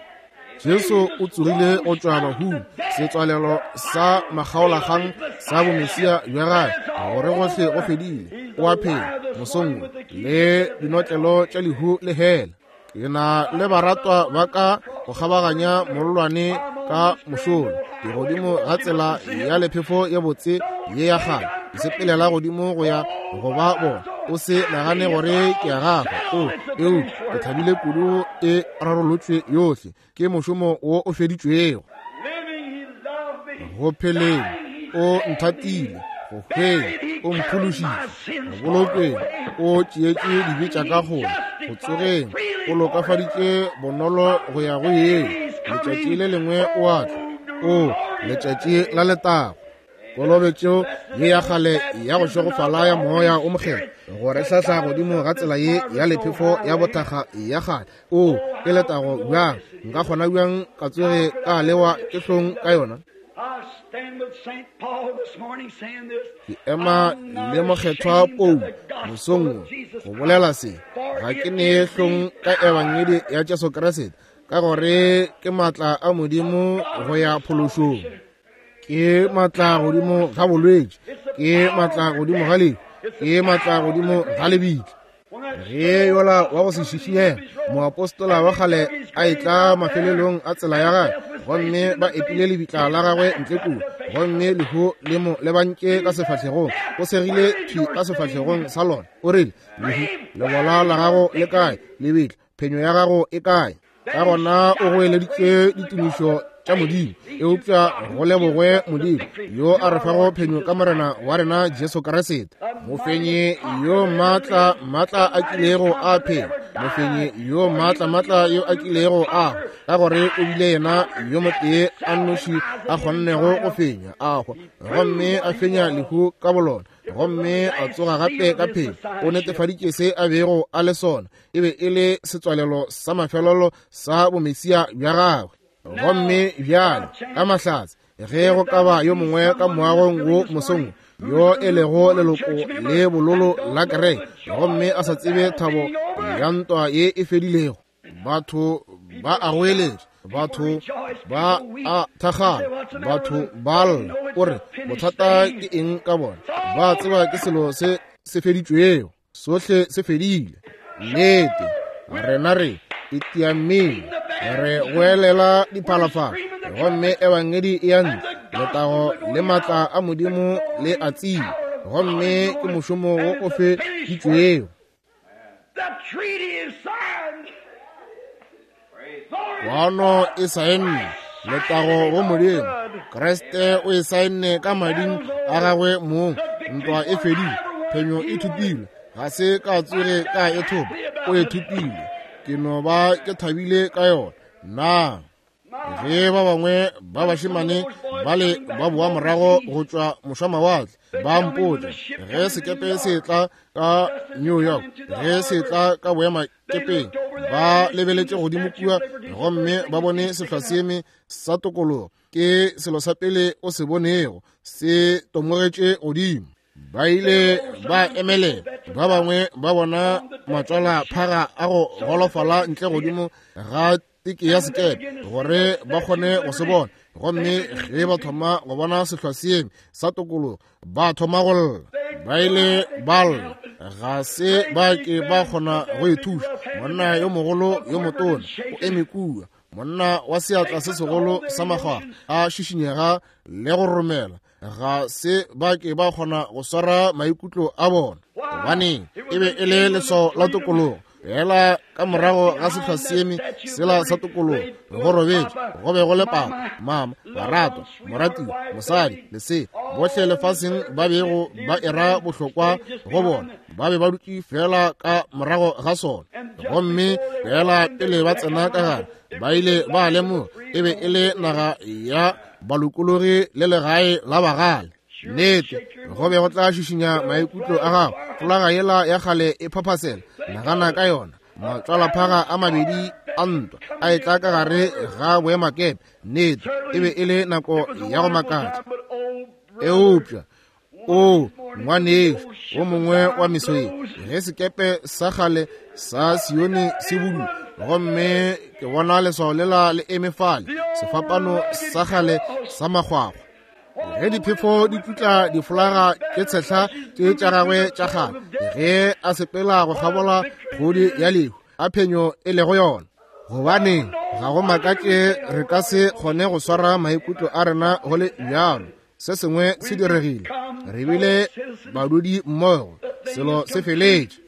Jesu o tsogile go tšwa bahung, setswalelo sa makgaolakgang sa bomesia bja gagwe, gore gohle go fedile. O a phela mosong wo le dinotlelo tša lehu le hela. Ke na le baratwa ba ka go kgabaganya mollwane ka mošola, ke godimo ga tsela ya lephefo ye botse ye ya kgale, ke sepelela godimo go ya go ba bona. O se nagane gore ke a gafa, o eupša ke thabile kudu e rarolotšwe yohle, ke mošomo wo o feditšwego. Go pheleng o nthatile, go hweng o mphološitše, go bolokeng o tšeetše dibe tša ka kgole, go tsogeng o lokafaditše bonolo go ya go yeng. Letšatši le lengwe o a tla, o letšatši la letago. Kolobetšo ye ya kgale ya go šegofala ya moya o mokgethwa go re hlahla godimo ga tsela ye ya lephefo ya bothakga ya kgale. O ke letago bjang! Nka kgona bjang ka tsoge ka lewa ke hlong ka yona? Ke ema le mokgethwa Paulo mosong wo go bolela se, ga ke ne hlong ka ebangedi ya Jesu Kriste, ka gore ke maatla a Modimo go ya phološong. Ke maatla godimo ga bolwetši, ke maatla godimo ga lehu, ke maatla godimo ga lebitla. Ge yola wa go se šišinyege moapostola wa kgale a etla mafelelong a tsela ya gagwe, gomme ba epile lebitla la gagwe ntle kua, gomme lehu le mo lebantše ka sefahlegong, o segile thwi ka sefahlegong sa lona, o rile, Lehu, lebola la gago le kae? Lebitla, phenyo ya gago e kae? Ka gona o goeleditše ditumišo tša Modimo. Eupša go lebogwe Modimo yo a re fago phenyo ka Morena wa rena Jesu Kriste, mofenyi yo maatla maatla a kilego a phela, mofenyi yo maatla maatla yo a kilego a hwa, ka gore o bile yena yo motee a nnoši a kgonnego go fenya a hwa, gomme a fenya lehu ka bolona, gomme a tsoga gape ka phelo. O netefaditše se a bego a le sona. E be e le setswalelo sa mafelelo sa bomesia bja gagwe. Gomme bjale, ka mahlatse, ge go ka ba yo mongwe ka moagong wo mosong yo e lego leloko le bololo la kereke, gomme a sa tsebe thabo ya ntwa ye e fedilego, batho ba a goeletša, batho ba a thakgala, batho ba lla, o re, bothata ke eng ka bona? Ba tseba ke selo se se feditšwego, sohle se fedile. Nnete, rena re itiamile, re goelela diphalafala, gomme ebangedi e ya ntle, letago le maatla a Modimo le a tsile, gomme ke mošomo wo o feditšwego. Kwano e saenne, letago go Modimo. Kriste o e saenne ka mading a gagwe mong. Ntwa e fedile, phenyo e thopilwe. Ga se ka tsoge ka e thopa, o e thopile. Ke no ba ke thabile ka yona. Na ge ba bangwe ba bašemane bale ba boa morago go tšwa mošwamawatle, ba mpotša ge sekepe se tla ka New York, ge se tla ka boemakepeng, ba lebeletše godimo kua gomme ba bone sehlwaseeme sa tokologo. Ke selo sa pele o se bonego se tomogetše godimo. Ba ile ba emelela, ba bangwe ba bona matswalaphaga a go golofala ntle godimo ga teke ya sekepe gore ba kgone go se bona. Gomme ge ba thoma go bona sehlwaseeme sa tokologo, ba thoma go lla. Ba ile ba lla, ga se ba ke ba kgona go e thuša. Monna yo mogolo yo motona o eme kua, monna wa seatla se segolo sa makgwakgwa a šišinyega le go romela, ga se ba ke ba kgona go swara maikutlo a bona. Gobaneng? E be e le leswao la tokologo. Fela ka morago ga sehlwaseeme sela sa tokologo go robetše, go be go le papa, mama, baratwa, moratiwa, mosadi, lesea, bohle lefaseng ba bego ba era bohlokwa go bona, ba be ba dutše fela ka morago ga sona. Gomme fela pele ba tsena ka gare, ba ile ba lemoga e be e le naga ya balokologi le legae la bagale. Nnete, go be go tla šišinya maikutlo a gago. Folaga yela ya kgale e phaphasela, nagana ka yona. Matswalaphaga a mabedi a ntwa a etla ka gare ga boemakepe. Nnete, e be e le nako ya go makatša. Eupša, o ngwanešu, wo mongwe wa meso ye, ge sekepe sa kgale sa Sione se budule, gomme ke bona leswao lela le eme fale, sefapano sa kgale sa makgwakgwa, ge diphefo di tutla difolaga tše tshehla tše tša gagwe tša kgale, ge a sepela go kgabola kgodi ya lehu, a phenyo e lego yona. Gobane ga go makatše re ka se kgone go swara maikutlo a rena go le bjalo. Se sengwe se diregile, re bile badudi mmogo, selo se feletše.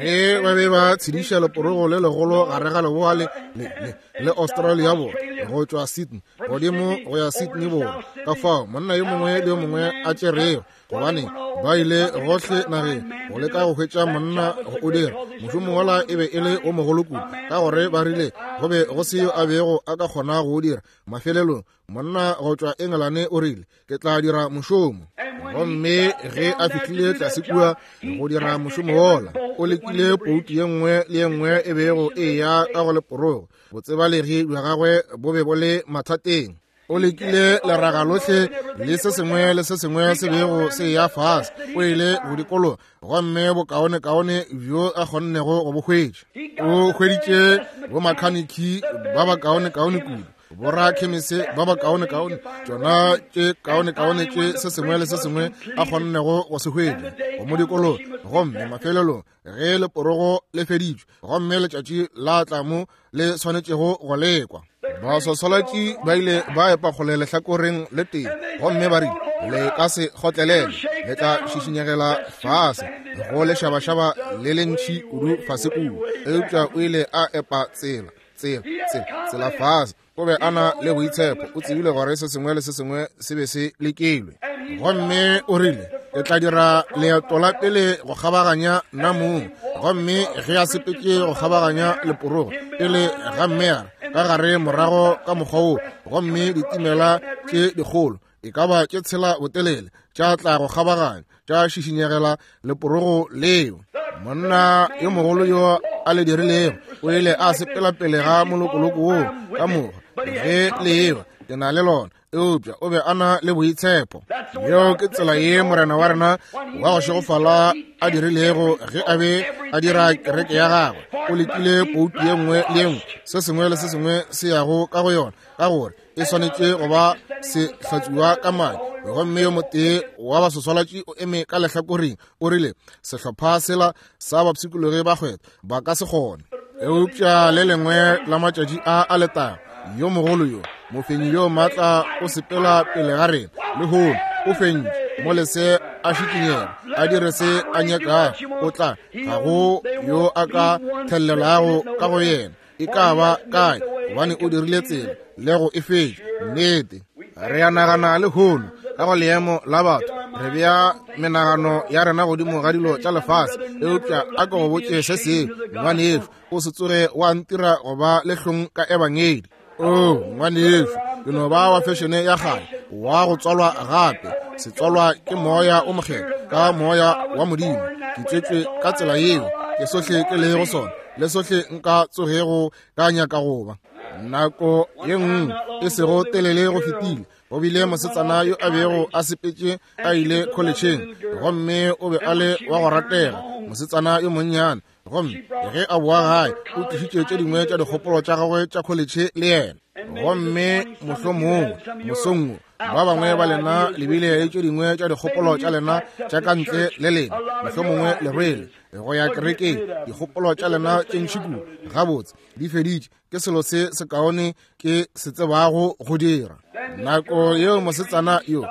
Ge ba be ba tshediša leporogo le legolo gare ga leboa le, le, le, le Australia borwa, go tšwa Sydney godimo go ya Sydney borwa, ka fao monna yo mongwe le yo mongwe a tšerego, gobane ba ile gohle nageng go leka go hwetša monna go o dira. Mošomo wola e be e le o mogolo kudu, ka gore ba rile go be go se yo a bego a ka kgona go o dira. Mafelelong monna go tšwa Engelane o rile, ke tla dira mošomo. Gomme ge a fihlile tlase kua go dira mošomo wola, o lekile poutu ye nngwe le ye nngwe e bego e eya ka go leporogo. Botsebalegi bja gagwe bo be bo le mathateng. O lekile leraga lohle le se sengwe le se sengwe se bego se eya fase. O ile go dikologa, gomme bokaonekaone bjo a kgonnego go bo hwetša, o hweditše bomakhaniki ba bakaonekaone kudu. Borakhemese ba bakaonekaone, tšona tše kaonekaone tše se sengwe le se sengwe a kgonnego go se hwetša go mo dikologa. Gomme mafelelong ge leporogo le feditšwe gomme letšatši la tla mo le swanetšego go lekwa, baswaswalatši ba ile ba epa kgole lehlakoreng le tee gomme ba rile, Le ka se kgotlelele, le tla šišinyegela fase go lešabašaba le le ntšhi kudu fase kua. Eupša o ile a epa tsela, tsela, tsela, tsela fase. O be a na le boitshepo, o tsebile gore se sengwe le se sengwe se be se lekilwe. Gomme o rile, Ke tla dira leeto la pele go kgabaganya nna mong. Gomme ge a sepetše go kgabaganya leporogo pele ga mmeara ka gare morago ka mokgwa wo, gomme ditimela tše dikgolo e ka ba tše tshela botelele tša tla go kgabaganya tša šišinyegela leporogo leo. Monna yo mogolo yo a le dirilego o ile a sepela pele ga molokoloko woo ka moka ge le eba ke na le lona, eupša o be a na le boitshepo. Yeo ke tsela ye Morena wa rena wa go šegofala a dirilego ge a be a dira kereke ya gagwe. O lekile poutu ye nngwe le ye nngwe, se sengwe le se sengwe se yago ka go yona, ka gore e swanetše go ba se hlatswiwa ka madi. Gomme yo motee wa baswaswalatši o eme ka lehlakoreng, o rile, Sehlopha sela sa bapshikologi ba kgwebo ba ka se kgone. Eupša le lengwe la matšatši a a letago, yo mogolo yo, mofenyi yo maatla o sepela pele ga rena lehono, o fentše mo lese a šikinyega, a dire se a nyakago, o tla, ga go yo a ka thelelago ka go yena e ka ba kae, gobane o dirile tsela le go e fetša. Nnete, re a nagana lehono ka go leemo la batho, re bea menagano ya rena godimo ga dilo tša lefase. Eupša a ke go botše se sengwe, ngwanešu, o se tsoge wa ntira go ba le hlong ka ebangedi. O ngwanešu, ke no ba wa fešene ya kgale, wa go tswalwa gape, se tswalwa ke Moya o Mokgethwa, ka Moya wa Modimo. Ke tswetšwe ka tsela yeo, ke sohle ke lego sona, le sohle nka tsogego ka nyaka go ba. Nako ye nngwe e sego telele go fetile, go bile mosetsana yo a bego a sepetše a ile kholetšheng, gomme o be a le wa go ratega, mosetsana yo monnyane. Gomme ge a boa gae, o tlišitše tše dingwe tša dikgopolo tša gagwe tša kholetšhe le yena. Gomme mohlomongwe mosong wo ba bangwe ba lena le bile le tše dingwe tša dikgopolo tša lena tša ka ntle le lena, mohlomongwe le rwele go ya kerekeng dikgopolo tša lena tše ntši kudu. Gabotse, di feditše. Ke selo se sekaone ke se tsebago go dira. Nako yeo mosetsana yo,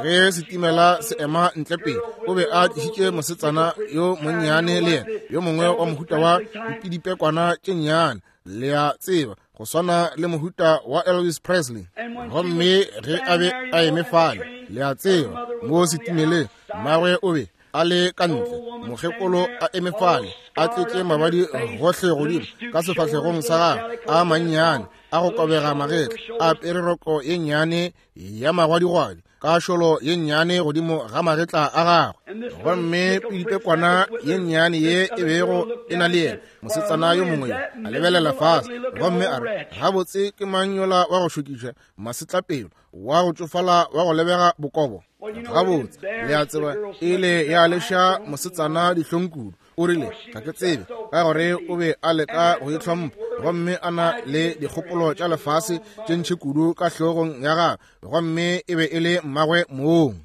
ge setimela se ema ntle pele, o be a tlišitše mosetsana yo monnyane le yena, yo mongwe wa mohuta wa dipidipekwana tše nnyane, le a tseba, go swana le mohuta wa Elvis Presley. Gomme ge a be a eme fale, le a tseba, mo setimeleng, mmagwe o be a le ka ntle, mokgekolo a eme fale, a tletše mabadi gohle godimo ka sefahlegong sa gagwe a mannyane a go kobega magetla, a apere roko ye nnyane ya magwadigwadi ka šolo ye nnyane godimo ga magetla a gagwe. Gomme pidipekwana ye nnyane ye e bego e na le yena, mosetsana yo mongwe yo, a lebelela fase gomme a re, Gabotse, ke mang yola wa go šokiša masetlapelo, wa go tšofala wa go lebega bokobo? Gabotse, le a tseba, e ile ya leša mosetsana dihlong kudu. O rile, Ga ke tsebe, ka gore o be a leka go itlhompha gomme a na le dikgopolo tša lefase tše ntši kudu ka hlogong ya gagwe, gomme e be e le mmagwe mong.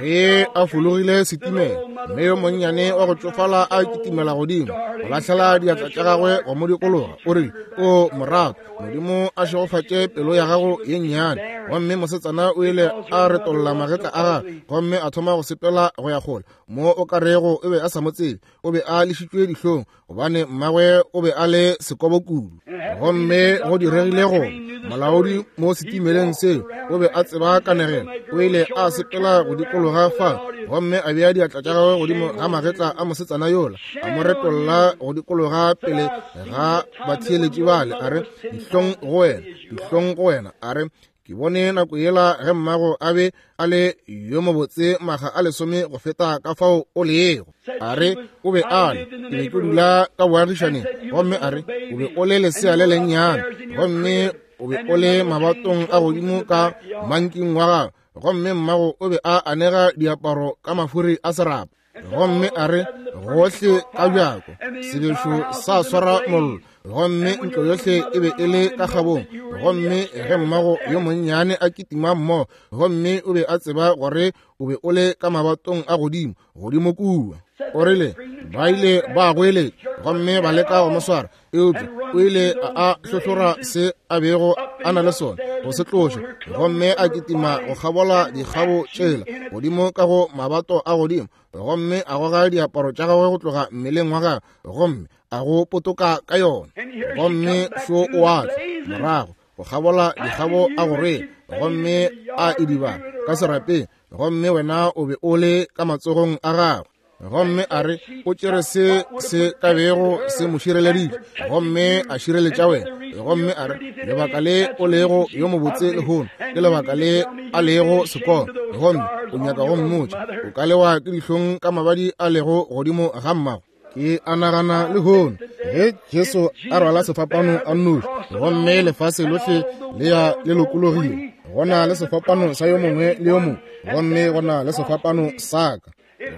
Ge a fologile setimela, mme yo monnyane wa go tšofala a kitimela godimo go lahlela diatla tša gagwe go mo dikologa, o rile, O morato, Modimo a šegofatše pelo ya gago ye nnyane. Gomme mosetsana o ile a retolla magetla a gagwe gomme a thoma go sepela go ya kgole mo o ka rego o be a sa mo tsebe. O be a lešitšwe dihlong gobane mmagwe o be a le sekobo kudu. Gomme go diregile gore molaodi mo setimeleng seo o be a tseba kanegelo. O ile a sepela go dikologa fa gomme a bea diatla tša gagwe godimo ga magetla a mosetsana yola, a mo retolla go dikologa pele ga batheeletši bale, a re, Dihlong go wena, dihlong go wena. A re, Ke bone nako yela ge mmago a be a le yo mobotse maga a lesome go feta ka fao o lego. A re, O be a le, ke be ke dula ka boagišaneng, gomme a re, o be o le lesea le lennyane, gomme o be o le mabatong a godimo ka manking wa gago, gomme mmago o be a anega diaparo ka mafuri a serapa. Gomme a re, Gohle ka bjako sebešo sa swara mollo. Gomme ntlo yohle e be e le ka kgabong. Gomme ge mmago yo monnyane a kitima mmogo, gomme o be a tseba gore o be o le ka mabatong a godimo, godimo kua. O rile, ba ile ba goeletša gomme ba leka go mo swara, eupša o ile a hlohlora se a bego a na le sona go se tloša, gomme a kitima go kgabola dikgabo tšela godimo ka go mabato a godimo, gomme a goga diaparo tša gagwe go tloga mmeleng wa gagwe, gomme a go potoka ka yona. Gomme šo o a tla morago go kgabola dikgabo a go rwele, gomme a idibala ka serapeng, gomme wena o be o le ka matsogong a gagwe. Gomme a re o tšere se se ka bego se mo šireleditše, gomme a šireletša wena. Gomme a re lebaka le o lego yo mobotse lehono ke lebaka le a lego sekolo, gomme o nyaka go mmotša o ka lewa ke dihlong ka mabadi a lego godimo ga mmago. Ke a nagana lehono ge Jesu a rwala sefapano a nnoši, gomme lefase lohle le ya le lokologile, go na le sefapano sa yo mongwe le yo mongwe, gomme go na le sefapano sa ka.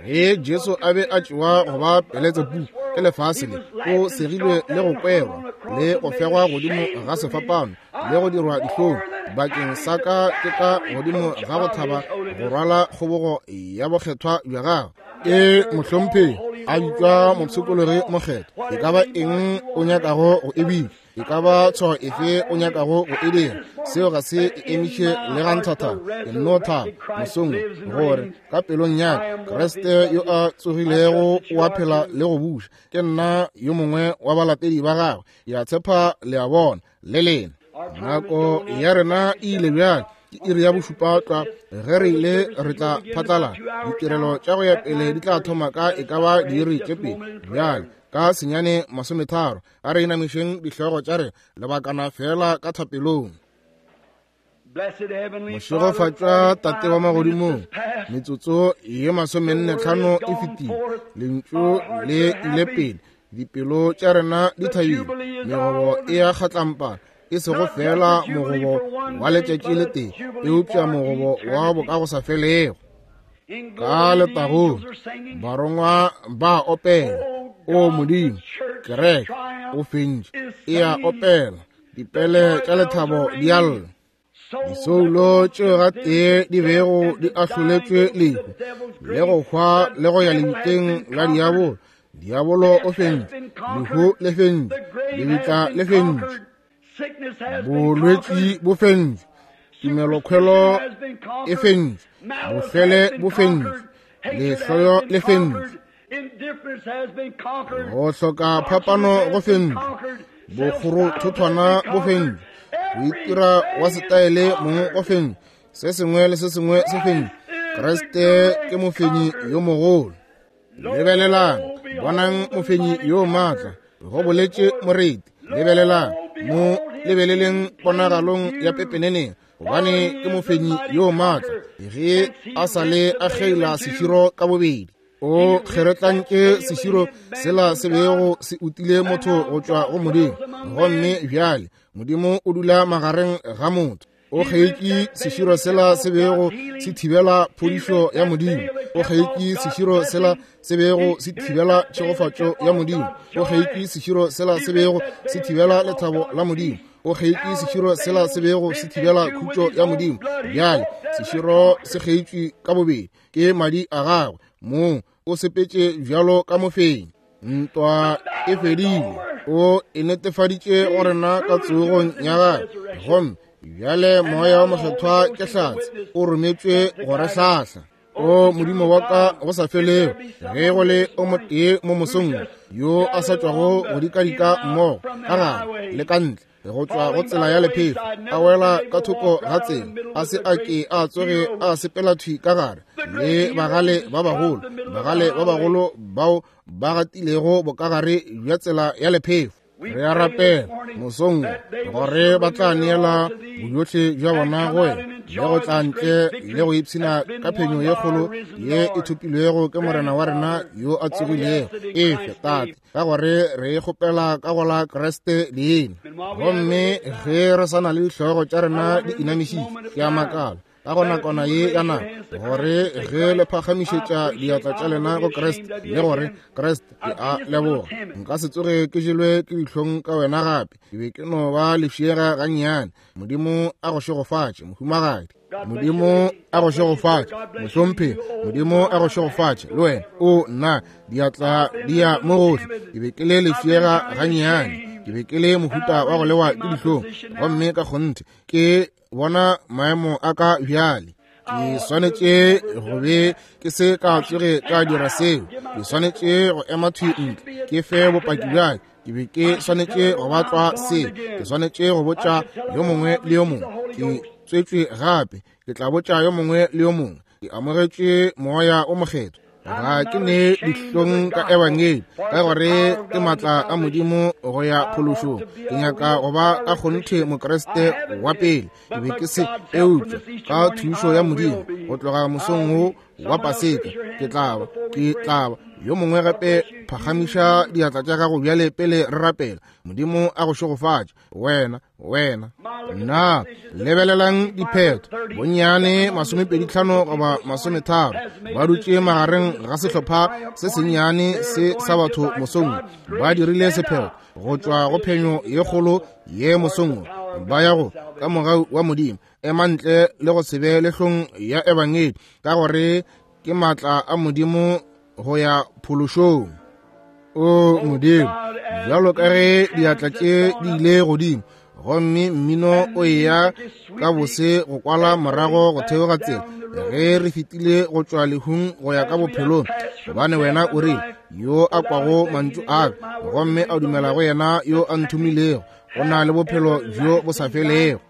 Ge Jesu a be a tšewa go ba Beletsebu ke lefase le, o segilwe le go kwerwa le go fegwa godimo ga sefapano le go dirwa dihlong bakeng sa ka, ke ka godimo ga go thaba go rwala kgobogo ya bokgethwa bja gagwe. E mohlomphegi a bitšwa mopshikologi mokgethwa, e ka ba eng o nyakago go e bitša, e ka ba tshwao efe o nyakago go e dira, seo ga se e emiše le ga nthathana. Ke nno thaba mosong gore ka pelong ya ka Kriste yo a tsogilego o a phela le go buša. Ke nna yo mongwe wa balatedi ba gagwe. Ke a tshepa le a bona le lena. Nako ya rena e ile bjale, ke iri ya bošupa tlwa. Ge re ile re tla phatlala, ditirelo tša go ya pele di tla thoma ka e ka ba diiri tše pedi bjale ka 9:30. A re inamišeng dihlogo tša rena lebakana fela ka thapelong. Mošegofatšwa Tate wa magodimong, metsotso ye 45 e fetile, lentšu le ile pele, dipelo tša rena di thabile, megobo e a kgatlampana, e sego fela mogobo wa letšatši le tee, eupša mogobo wa bokagosafelego. Ka letagong barongwa ba opela, o Modimo, kereke o fentše, e a opela, dipele tša lethabo di a lla. Disoulo tšeo gatee di bego di ahloletšwe lehu le go hwa le go ya lebitleng la diabolo, diabolo o fentše, lehu le fentše, lebitla le fentše, bolwetši bo fentše, tumelokhwelo e fentše, bofele bo fentše, lehloyo le fentše, go hloka phapano go fentše, bokgorothothwana bo fentše, go itira wa setaele mong go fentše, se sengwe le se sengwe se fentše. Kriste ke mofenyi yo mogolo. Lebelelang, bonang mofenyi yo maatla, go boletše moreti. Lebelelang, mo lebeleleng ponagalong ya pepeneneng, gobane ke mofenyi yo maatla, ge a sa le a kgeila seširo ka bobedi. O kgeretlantše seširo sela se bego se utile motho go tšwa go Modimo, gomme bjale Modimo o dula magareng ga motho. O kgeitše seširo sela se bego se thibela phodišo ya Modimo. O kgeitše seširo sela se bego se thibela tšhegofatšo ya Modimo. O kgeitše seširo sela se bego se thibela lethabo la Modimo. O kgeitše seširo sela se bego se thibela khutšo ya Modimo. Bjale seširo se kgeitšwe ka bobedi ke madi a gagwe mong, o sepetše bjalo ka mofenyi. Ntwa e fedile, o e netefaditše go rena ka tsogong ya gagwe, gomme bjale Moya wa Mokgethwa ke hlatse, o rometšwe go re hlahla. O Modimo wa ka go sa felego, ge go le o motee mo mosong yo a sa tšwago go dikadika mmogo ka gare le ka ntle go tšwa go tsela ya lephefo, a wela ka thoko ga tsela, a se a ke a tsoge a sepela thwi ka gare le bagale ba bagolo, bagale ba bagolo bao ba gatilego bokagare bja tsela ya lephefo. Re a rapela mosong gore ba tla neela bojohle bja bona go wena le go tla ntle le go ipshina ka phenyo ye kgolo ye e thopilwego ke Morena wa rena yo a tsogilego. Efe, Tate, ka gore re e kgopela ka go la Kriste leina. Gomme ge re sa na le dihlogo tša rena di inamišitšwe, ke a makala. Ka go nakwana ye ya nako, gore ge le phagamišetša diatla tša lena go Kriste, le gore, Kriste, ke a leboga, nka se tsoge ke jelwe ke dihlong ka wena gape. Ke be ke no ba lefšega gannyane. Modimo a go šegofatše, mohumagadi. Modimo a go šegofatše, mohlomphegi. Modimo a go šegofatše, le wena. O nna, diatla di ya mo gohle. Ke be ke le lefšega gannyane. Ke be ke le mohuta wa go lewa ke dihlong, gomme ka kgonthe ke bona maemo a ka bjale. Ke swanetše go be ke se ka tsoge ka dira seo. Ke swanetše go ema thwi ntle ke fe bopaki bjale. Ke be ke swanetše go ba tlwa se. Ke swanetše go botša yo mongwe le yo mongwe. Ke tswetšwe gape. Ke tla botša yo mongwe le yo mongwe. Ke amogetše Moya o Mokgethwa. Ga ke ne dihlong ka ebangedi, ka gore ke matla a Modimo go ya phološong. Ke nyaka go ba ka kgonthe Mokriste wa pele. Ke be ke se, eupša ka thušo ya Modimo, go tloga mosong wo wa Paseka, ke tla ba, ke tla ba. Yo mongwe gape phagamiša diatla tša gago bjale pele re rapela. Modimo a go šegofatše, wena, wena. Nna, lebelelang diphetho, bonnyane 25 goba 30 ba dutše magareng ga sehlopha se sennyane se sa batho mosong, ba dirile sephetho go tšwa go phenyo ye kgolo ye mosong, ba ya go ka mogau wa Modimo ema ntle le go se be lehlong ya ebangedi, ka gore ke matla a Modimo go ya phološong. O Modimo, bjalo ka ge diatla tše di ile godimo, gomme mmino o eya ka bose go kwala morago go theoga tsela, ge re fetile go tšwa lehung go ya ka bophelong, gobane wena o re, yo a kwago mantšu a ka gomme a dumela go yena yo a nthomilego, o na le bophelo bjo bo sa felego.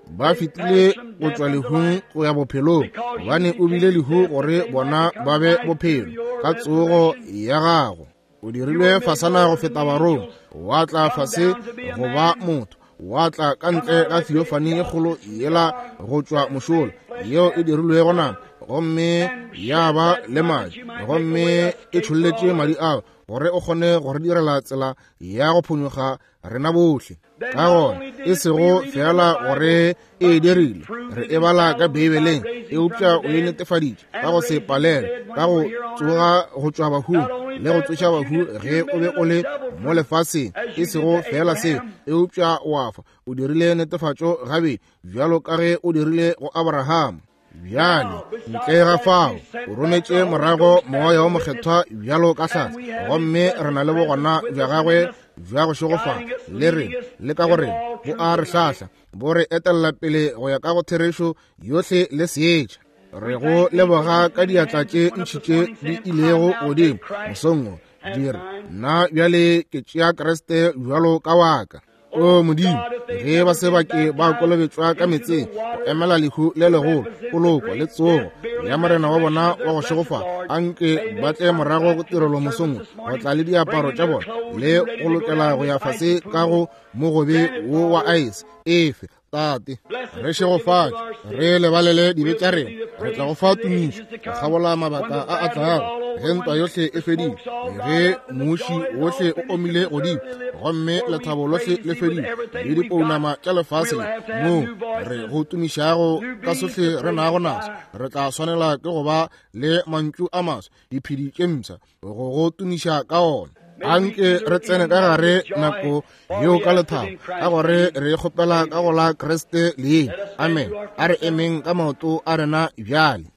Ba fetile go tšwa lehung go ya bophelong, gobane o bile lehu gore bona ba be bophelo ka tsogo ya gago. O dirilwe fasana go feta barong, wa tla fase go ba motho, wa tla ka ntle ga theophany e kgolo yela go tšwa mošola, yeo e dirilwego nama, gomme ya ba le madi, gomme e tšholletše madi ao gore o kgone go re direla tsela ya go phonyokga rena bohle. Ka gona e sego fela gore e dirile, re e bala ka Beibeleng, eupša o e netefaditše ka go se palelwe, ka go tsoga go tšwa bahung le go tsoša bahu ge o be o le mo lefaseng. E sego fela seo, eupša wa fa, o dirile netefatšo gabedi, bjalo ka ge o dirile go Abraham. Bjale, ntle ga fao, o rometše morago Moya wo Mokgethwa bjalo ka hlatse, gomme re na le bogona bja gagwe bja go šegofala le rena, le ka gore bo a re hlahla, bo re etella pele go ya ka go therešo yohle le seetša. Re go leboga ka diatla tše ntši tše di ilego godimo mosong wo, di re, Nna bjale ke tšea Kriste bjalo ka wa ka. O Modimo, ge ba se ba ke ba kolobetšwa ka meetseng go emela lehu le legolo, poloko le tsogo ya Morena wa bona wa go šegofala, anke ba tle morago go tirelo mosong go tla le diaparo tša bona le go lokela go ya fase ka go mogobe wo wa aese. Efe, Tate, re šegofatše, re lebalele dibe tša rena, re tla go fa tumišo go kgabola mabaka a a tlago, ge ntwa yohle e fedile, ge muši wohle o omile godimo, gomme lethabo lohle le fedile, le dipounama tša lefase le, moo re go tumišago ka sohle re nago naso, re tla swanela ke go ba le mantšu a maswa, diphedi tše mpsha, go go tumiša ka ona. Anke re tsene ka gare nako yeo ka lethabo, ka gore re kgopela ka go la Kriste leina. Amen. A re emeng ka maoto a rena bjale.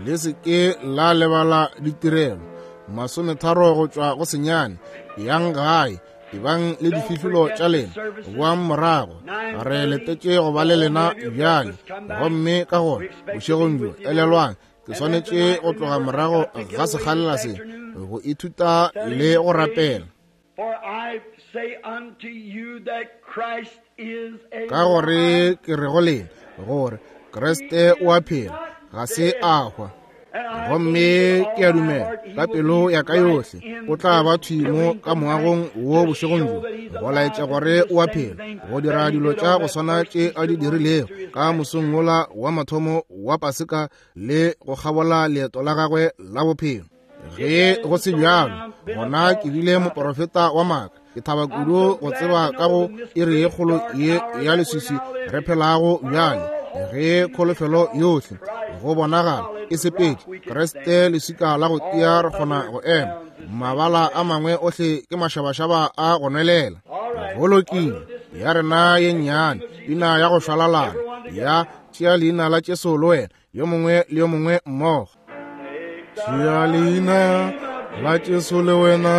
Le se ke la lebala ditirelo 30 go tšwa go 9. Yang gae, ebang le difihlolo tša lena, boang morago. Re letetše go ba le lena bjale. Gomme ka gona bošegong bjo, elelwang, ke swanetše go tloga morago ga sekgalela se go ithuta le go rapela. Ka gore ke re go lena gore Kriste o a phela, ga se a hwa. Gomme ke a dumela ka pelo ya ka yohle o tla ba thwi mo ka moagong wo bošegong bjo, go laetša gore o a phela, go dira dilo tša go swana tše a di dirilego ka mosong wola wa mathomo wa Paseka le go kgabola leeto la gagwe la bophelo. Ge go se bjalo, gona ke bile moporofeta wa maaka. Ke thaba kudu go tseba ka go iri ye kgolo ye ya leswiswi re phelago bjale, ge kholofelo yohle go bonagala e sepetše, Kriste leswika la go tia re kgona go ema. Mabala a mangwe ohle ke mašabašaba a go nwelela. Go lokile, ya rena ye nnyane pina ya go šwalalana ya tšea leina la Jesu le wena, yo mongwe le yo mongwe mmogo. Tšea leina la Jesu le wena,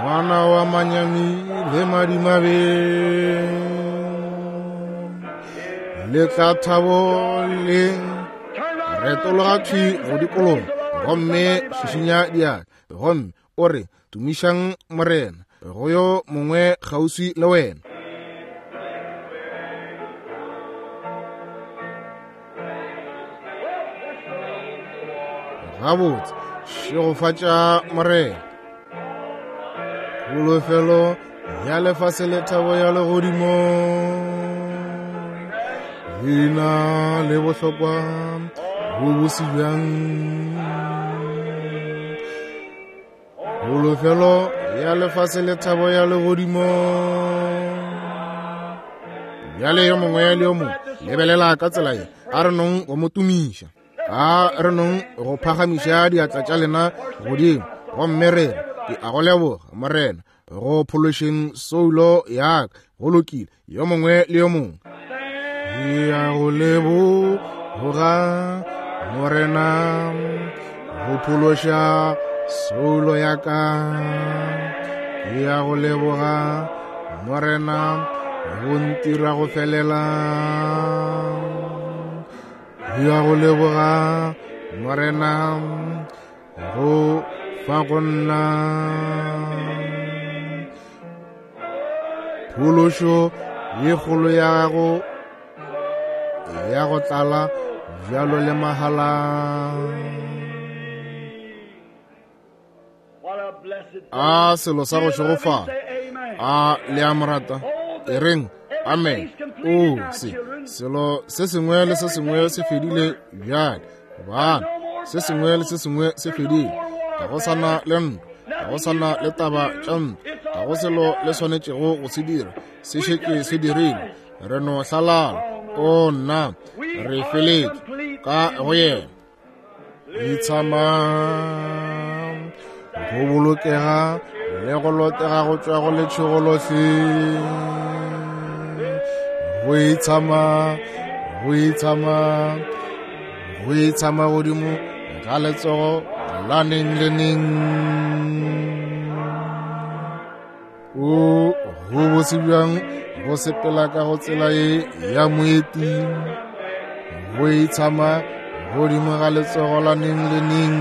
ngwana wa manyami le madimabe, le tla thabo le retologa thwi go dikologa gomme šišinya diatla gomme o re, Tumišang Morena, go yo mongwe kgauswi le wena. Gabotse, šegofatša Morena. Kholofelo ya lefase le thabo ya legodimo, leina le bohlokwa bo bose bjang. Kholofelo ya lefase le thabo ya legodimo. Bjale yo mongwe le yo mongwe lebelela ka tsela ye, a re nong go mo tumiša, a re nong go phagamiša diatla tša lena godimo gomme re re, ke a go leboga Morena go phološeng soulo ya ka. Go lokile, yo mongwe le yo mongwe. Ke a go leboga Morena go phološa soulo ya ka. Ke a go leboga Morena go ntira go felela. Ke a go leboga Morena go fa go nna phološo ye kgolo ya gago ya go tlala bjalo le mahala. A selo sa go šegofala. A le a mo rata? E reng amen. O se selo se sengwe le se sengwe se fedile bjale, bana. Se sengwe le se sengwe se fedile. Ga go sana le ntwa, ga go sana le taba tša ntwa, ga go selo le swanetšego go se dira, se šetše se dirile. Re no hlalala. O nna, re feletše ka go yena. Itshama go bolokega le go lotega go tšwa go letšhogo lohle. Go itshama, go itshama, go itshama godimo ga letsogo la neng le neng. O go bose bjang go sepela ka go tsela ye ya moeti, go itshama godimo ga letsogo la neng le neng.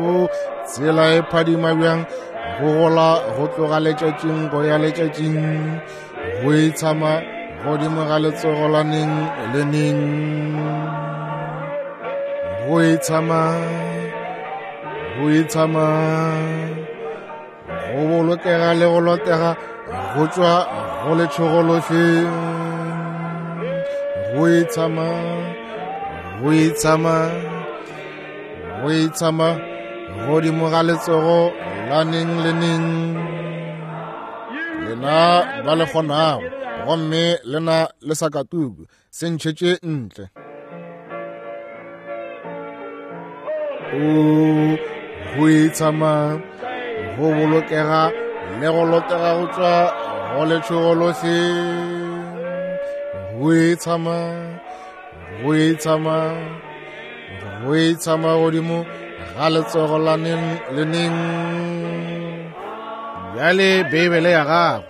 O tsela e phadima bjang go gola go tloga letšatšing go ya letšatšing, go itshama godimo ga letsogo la neng le neng. Go itshama, go itshama, go bolokega le go lotega go tšwa go letšhogo lohle. Go itshama, go itshama, go itshama godimo ga letsogo la neng le neng. Lena ba le kgonago gomme lena le sa katuku, se ntšhetše ntle. O go itshama, go bolokega le go lotega go tšwa go letšhogo lohle. Go itshama, go itshama, go itshama godimo ga letsogo la neng le neng. Bjale Beibele ya gago.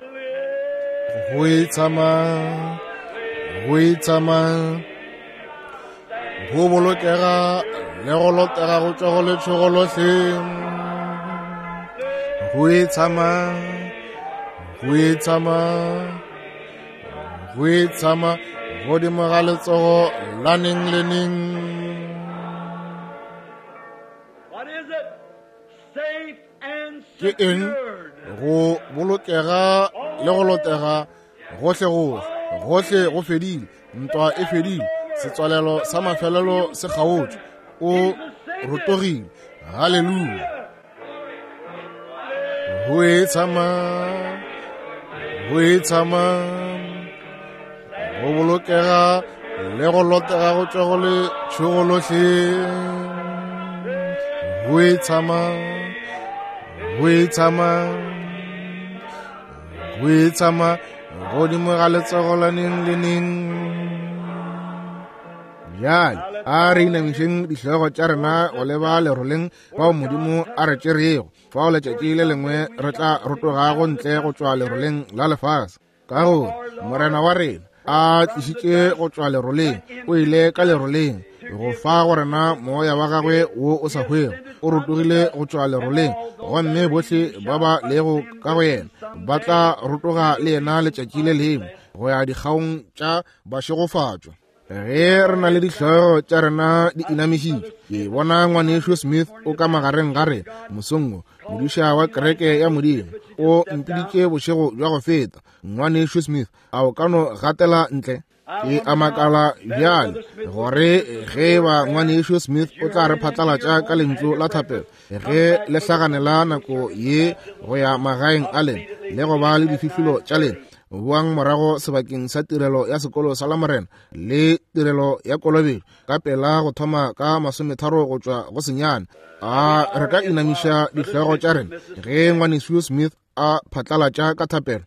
Go itshama, go itshama, go bolokega le go lotega go tšwa go letšhogo lohle. Go itshama, go itshama, go itshama godimo ga letsogo la neng le neng. What is it? Safe and Ke eng? secured. Go bolokega le go lotega gohle gohle, gohle go fedile, ntwa e fedile, setswalelo sa mafelelo se kgaotšwe, o rotogile. Haleluya. Go e tshama, go e tshama, go bolokega le go lotega go tšwa go le tšhogo lohle. Go e tshama, go e tshama, go e tshama godimo ga letsogo la neng le neng. Bjale a re inamišeng dihlogo tša rena go leba leroleng fao Modimo a re tšerego, fao letšatši le lengwe re tla rotogago ntle go tšwa leroleng la lefase. Ka gore Morena wa rena a tlišitše go tšwa leroleng, o ile ka leroleng go fa go rena moya wa gagwe wo o sa hwego. O rotogile go tšwa leroleng, gomme bohle ba ba lego ka go yena ba tla rotoga le yena letšatši le lengwe go ya dikgaong tša bašegofatšwa. Ge re na le dihlogo tša rena di inamišitšwe, ke bona ngwanešu Smith o ka magareng ga rena mosong wo, modiša wa kereke ya Modimo. O mpiditše bošego bja go feta. Ngwanešu Smith, a o ka no gatela ntle? Ke a makala bjale gore ge ba ngwanešu Smith o tla re phatlalatša ka lentšu la thapelo ge le hlaganela nako ye go ya magaeng a lena le go ba le difihlolo tša lena. Boang morago sebakeng sa tirelo ya sekolo sa Lamorena le tirelo ya kolobetšo ka pela go thoma ka 30 go tšwa go senyane. A re ka inamiša dihlogo tša rena ge ngwanešu Smith a phatlalatša ka thapelo?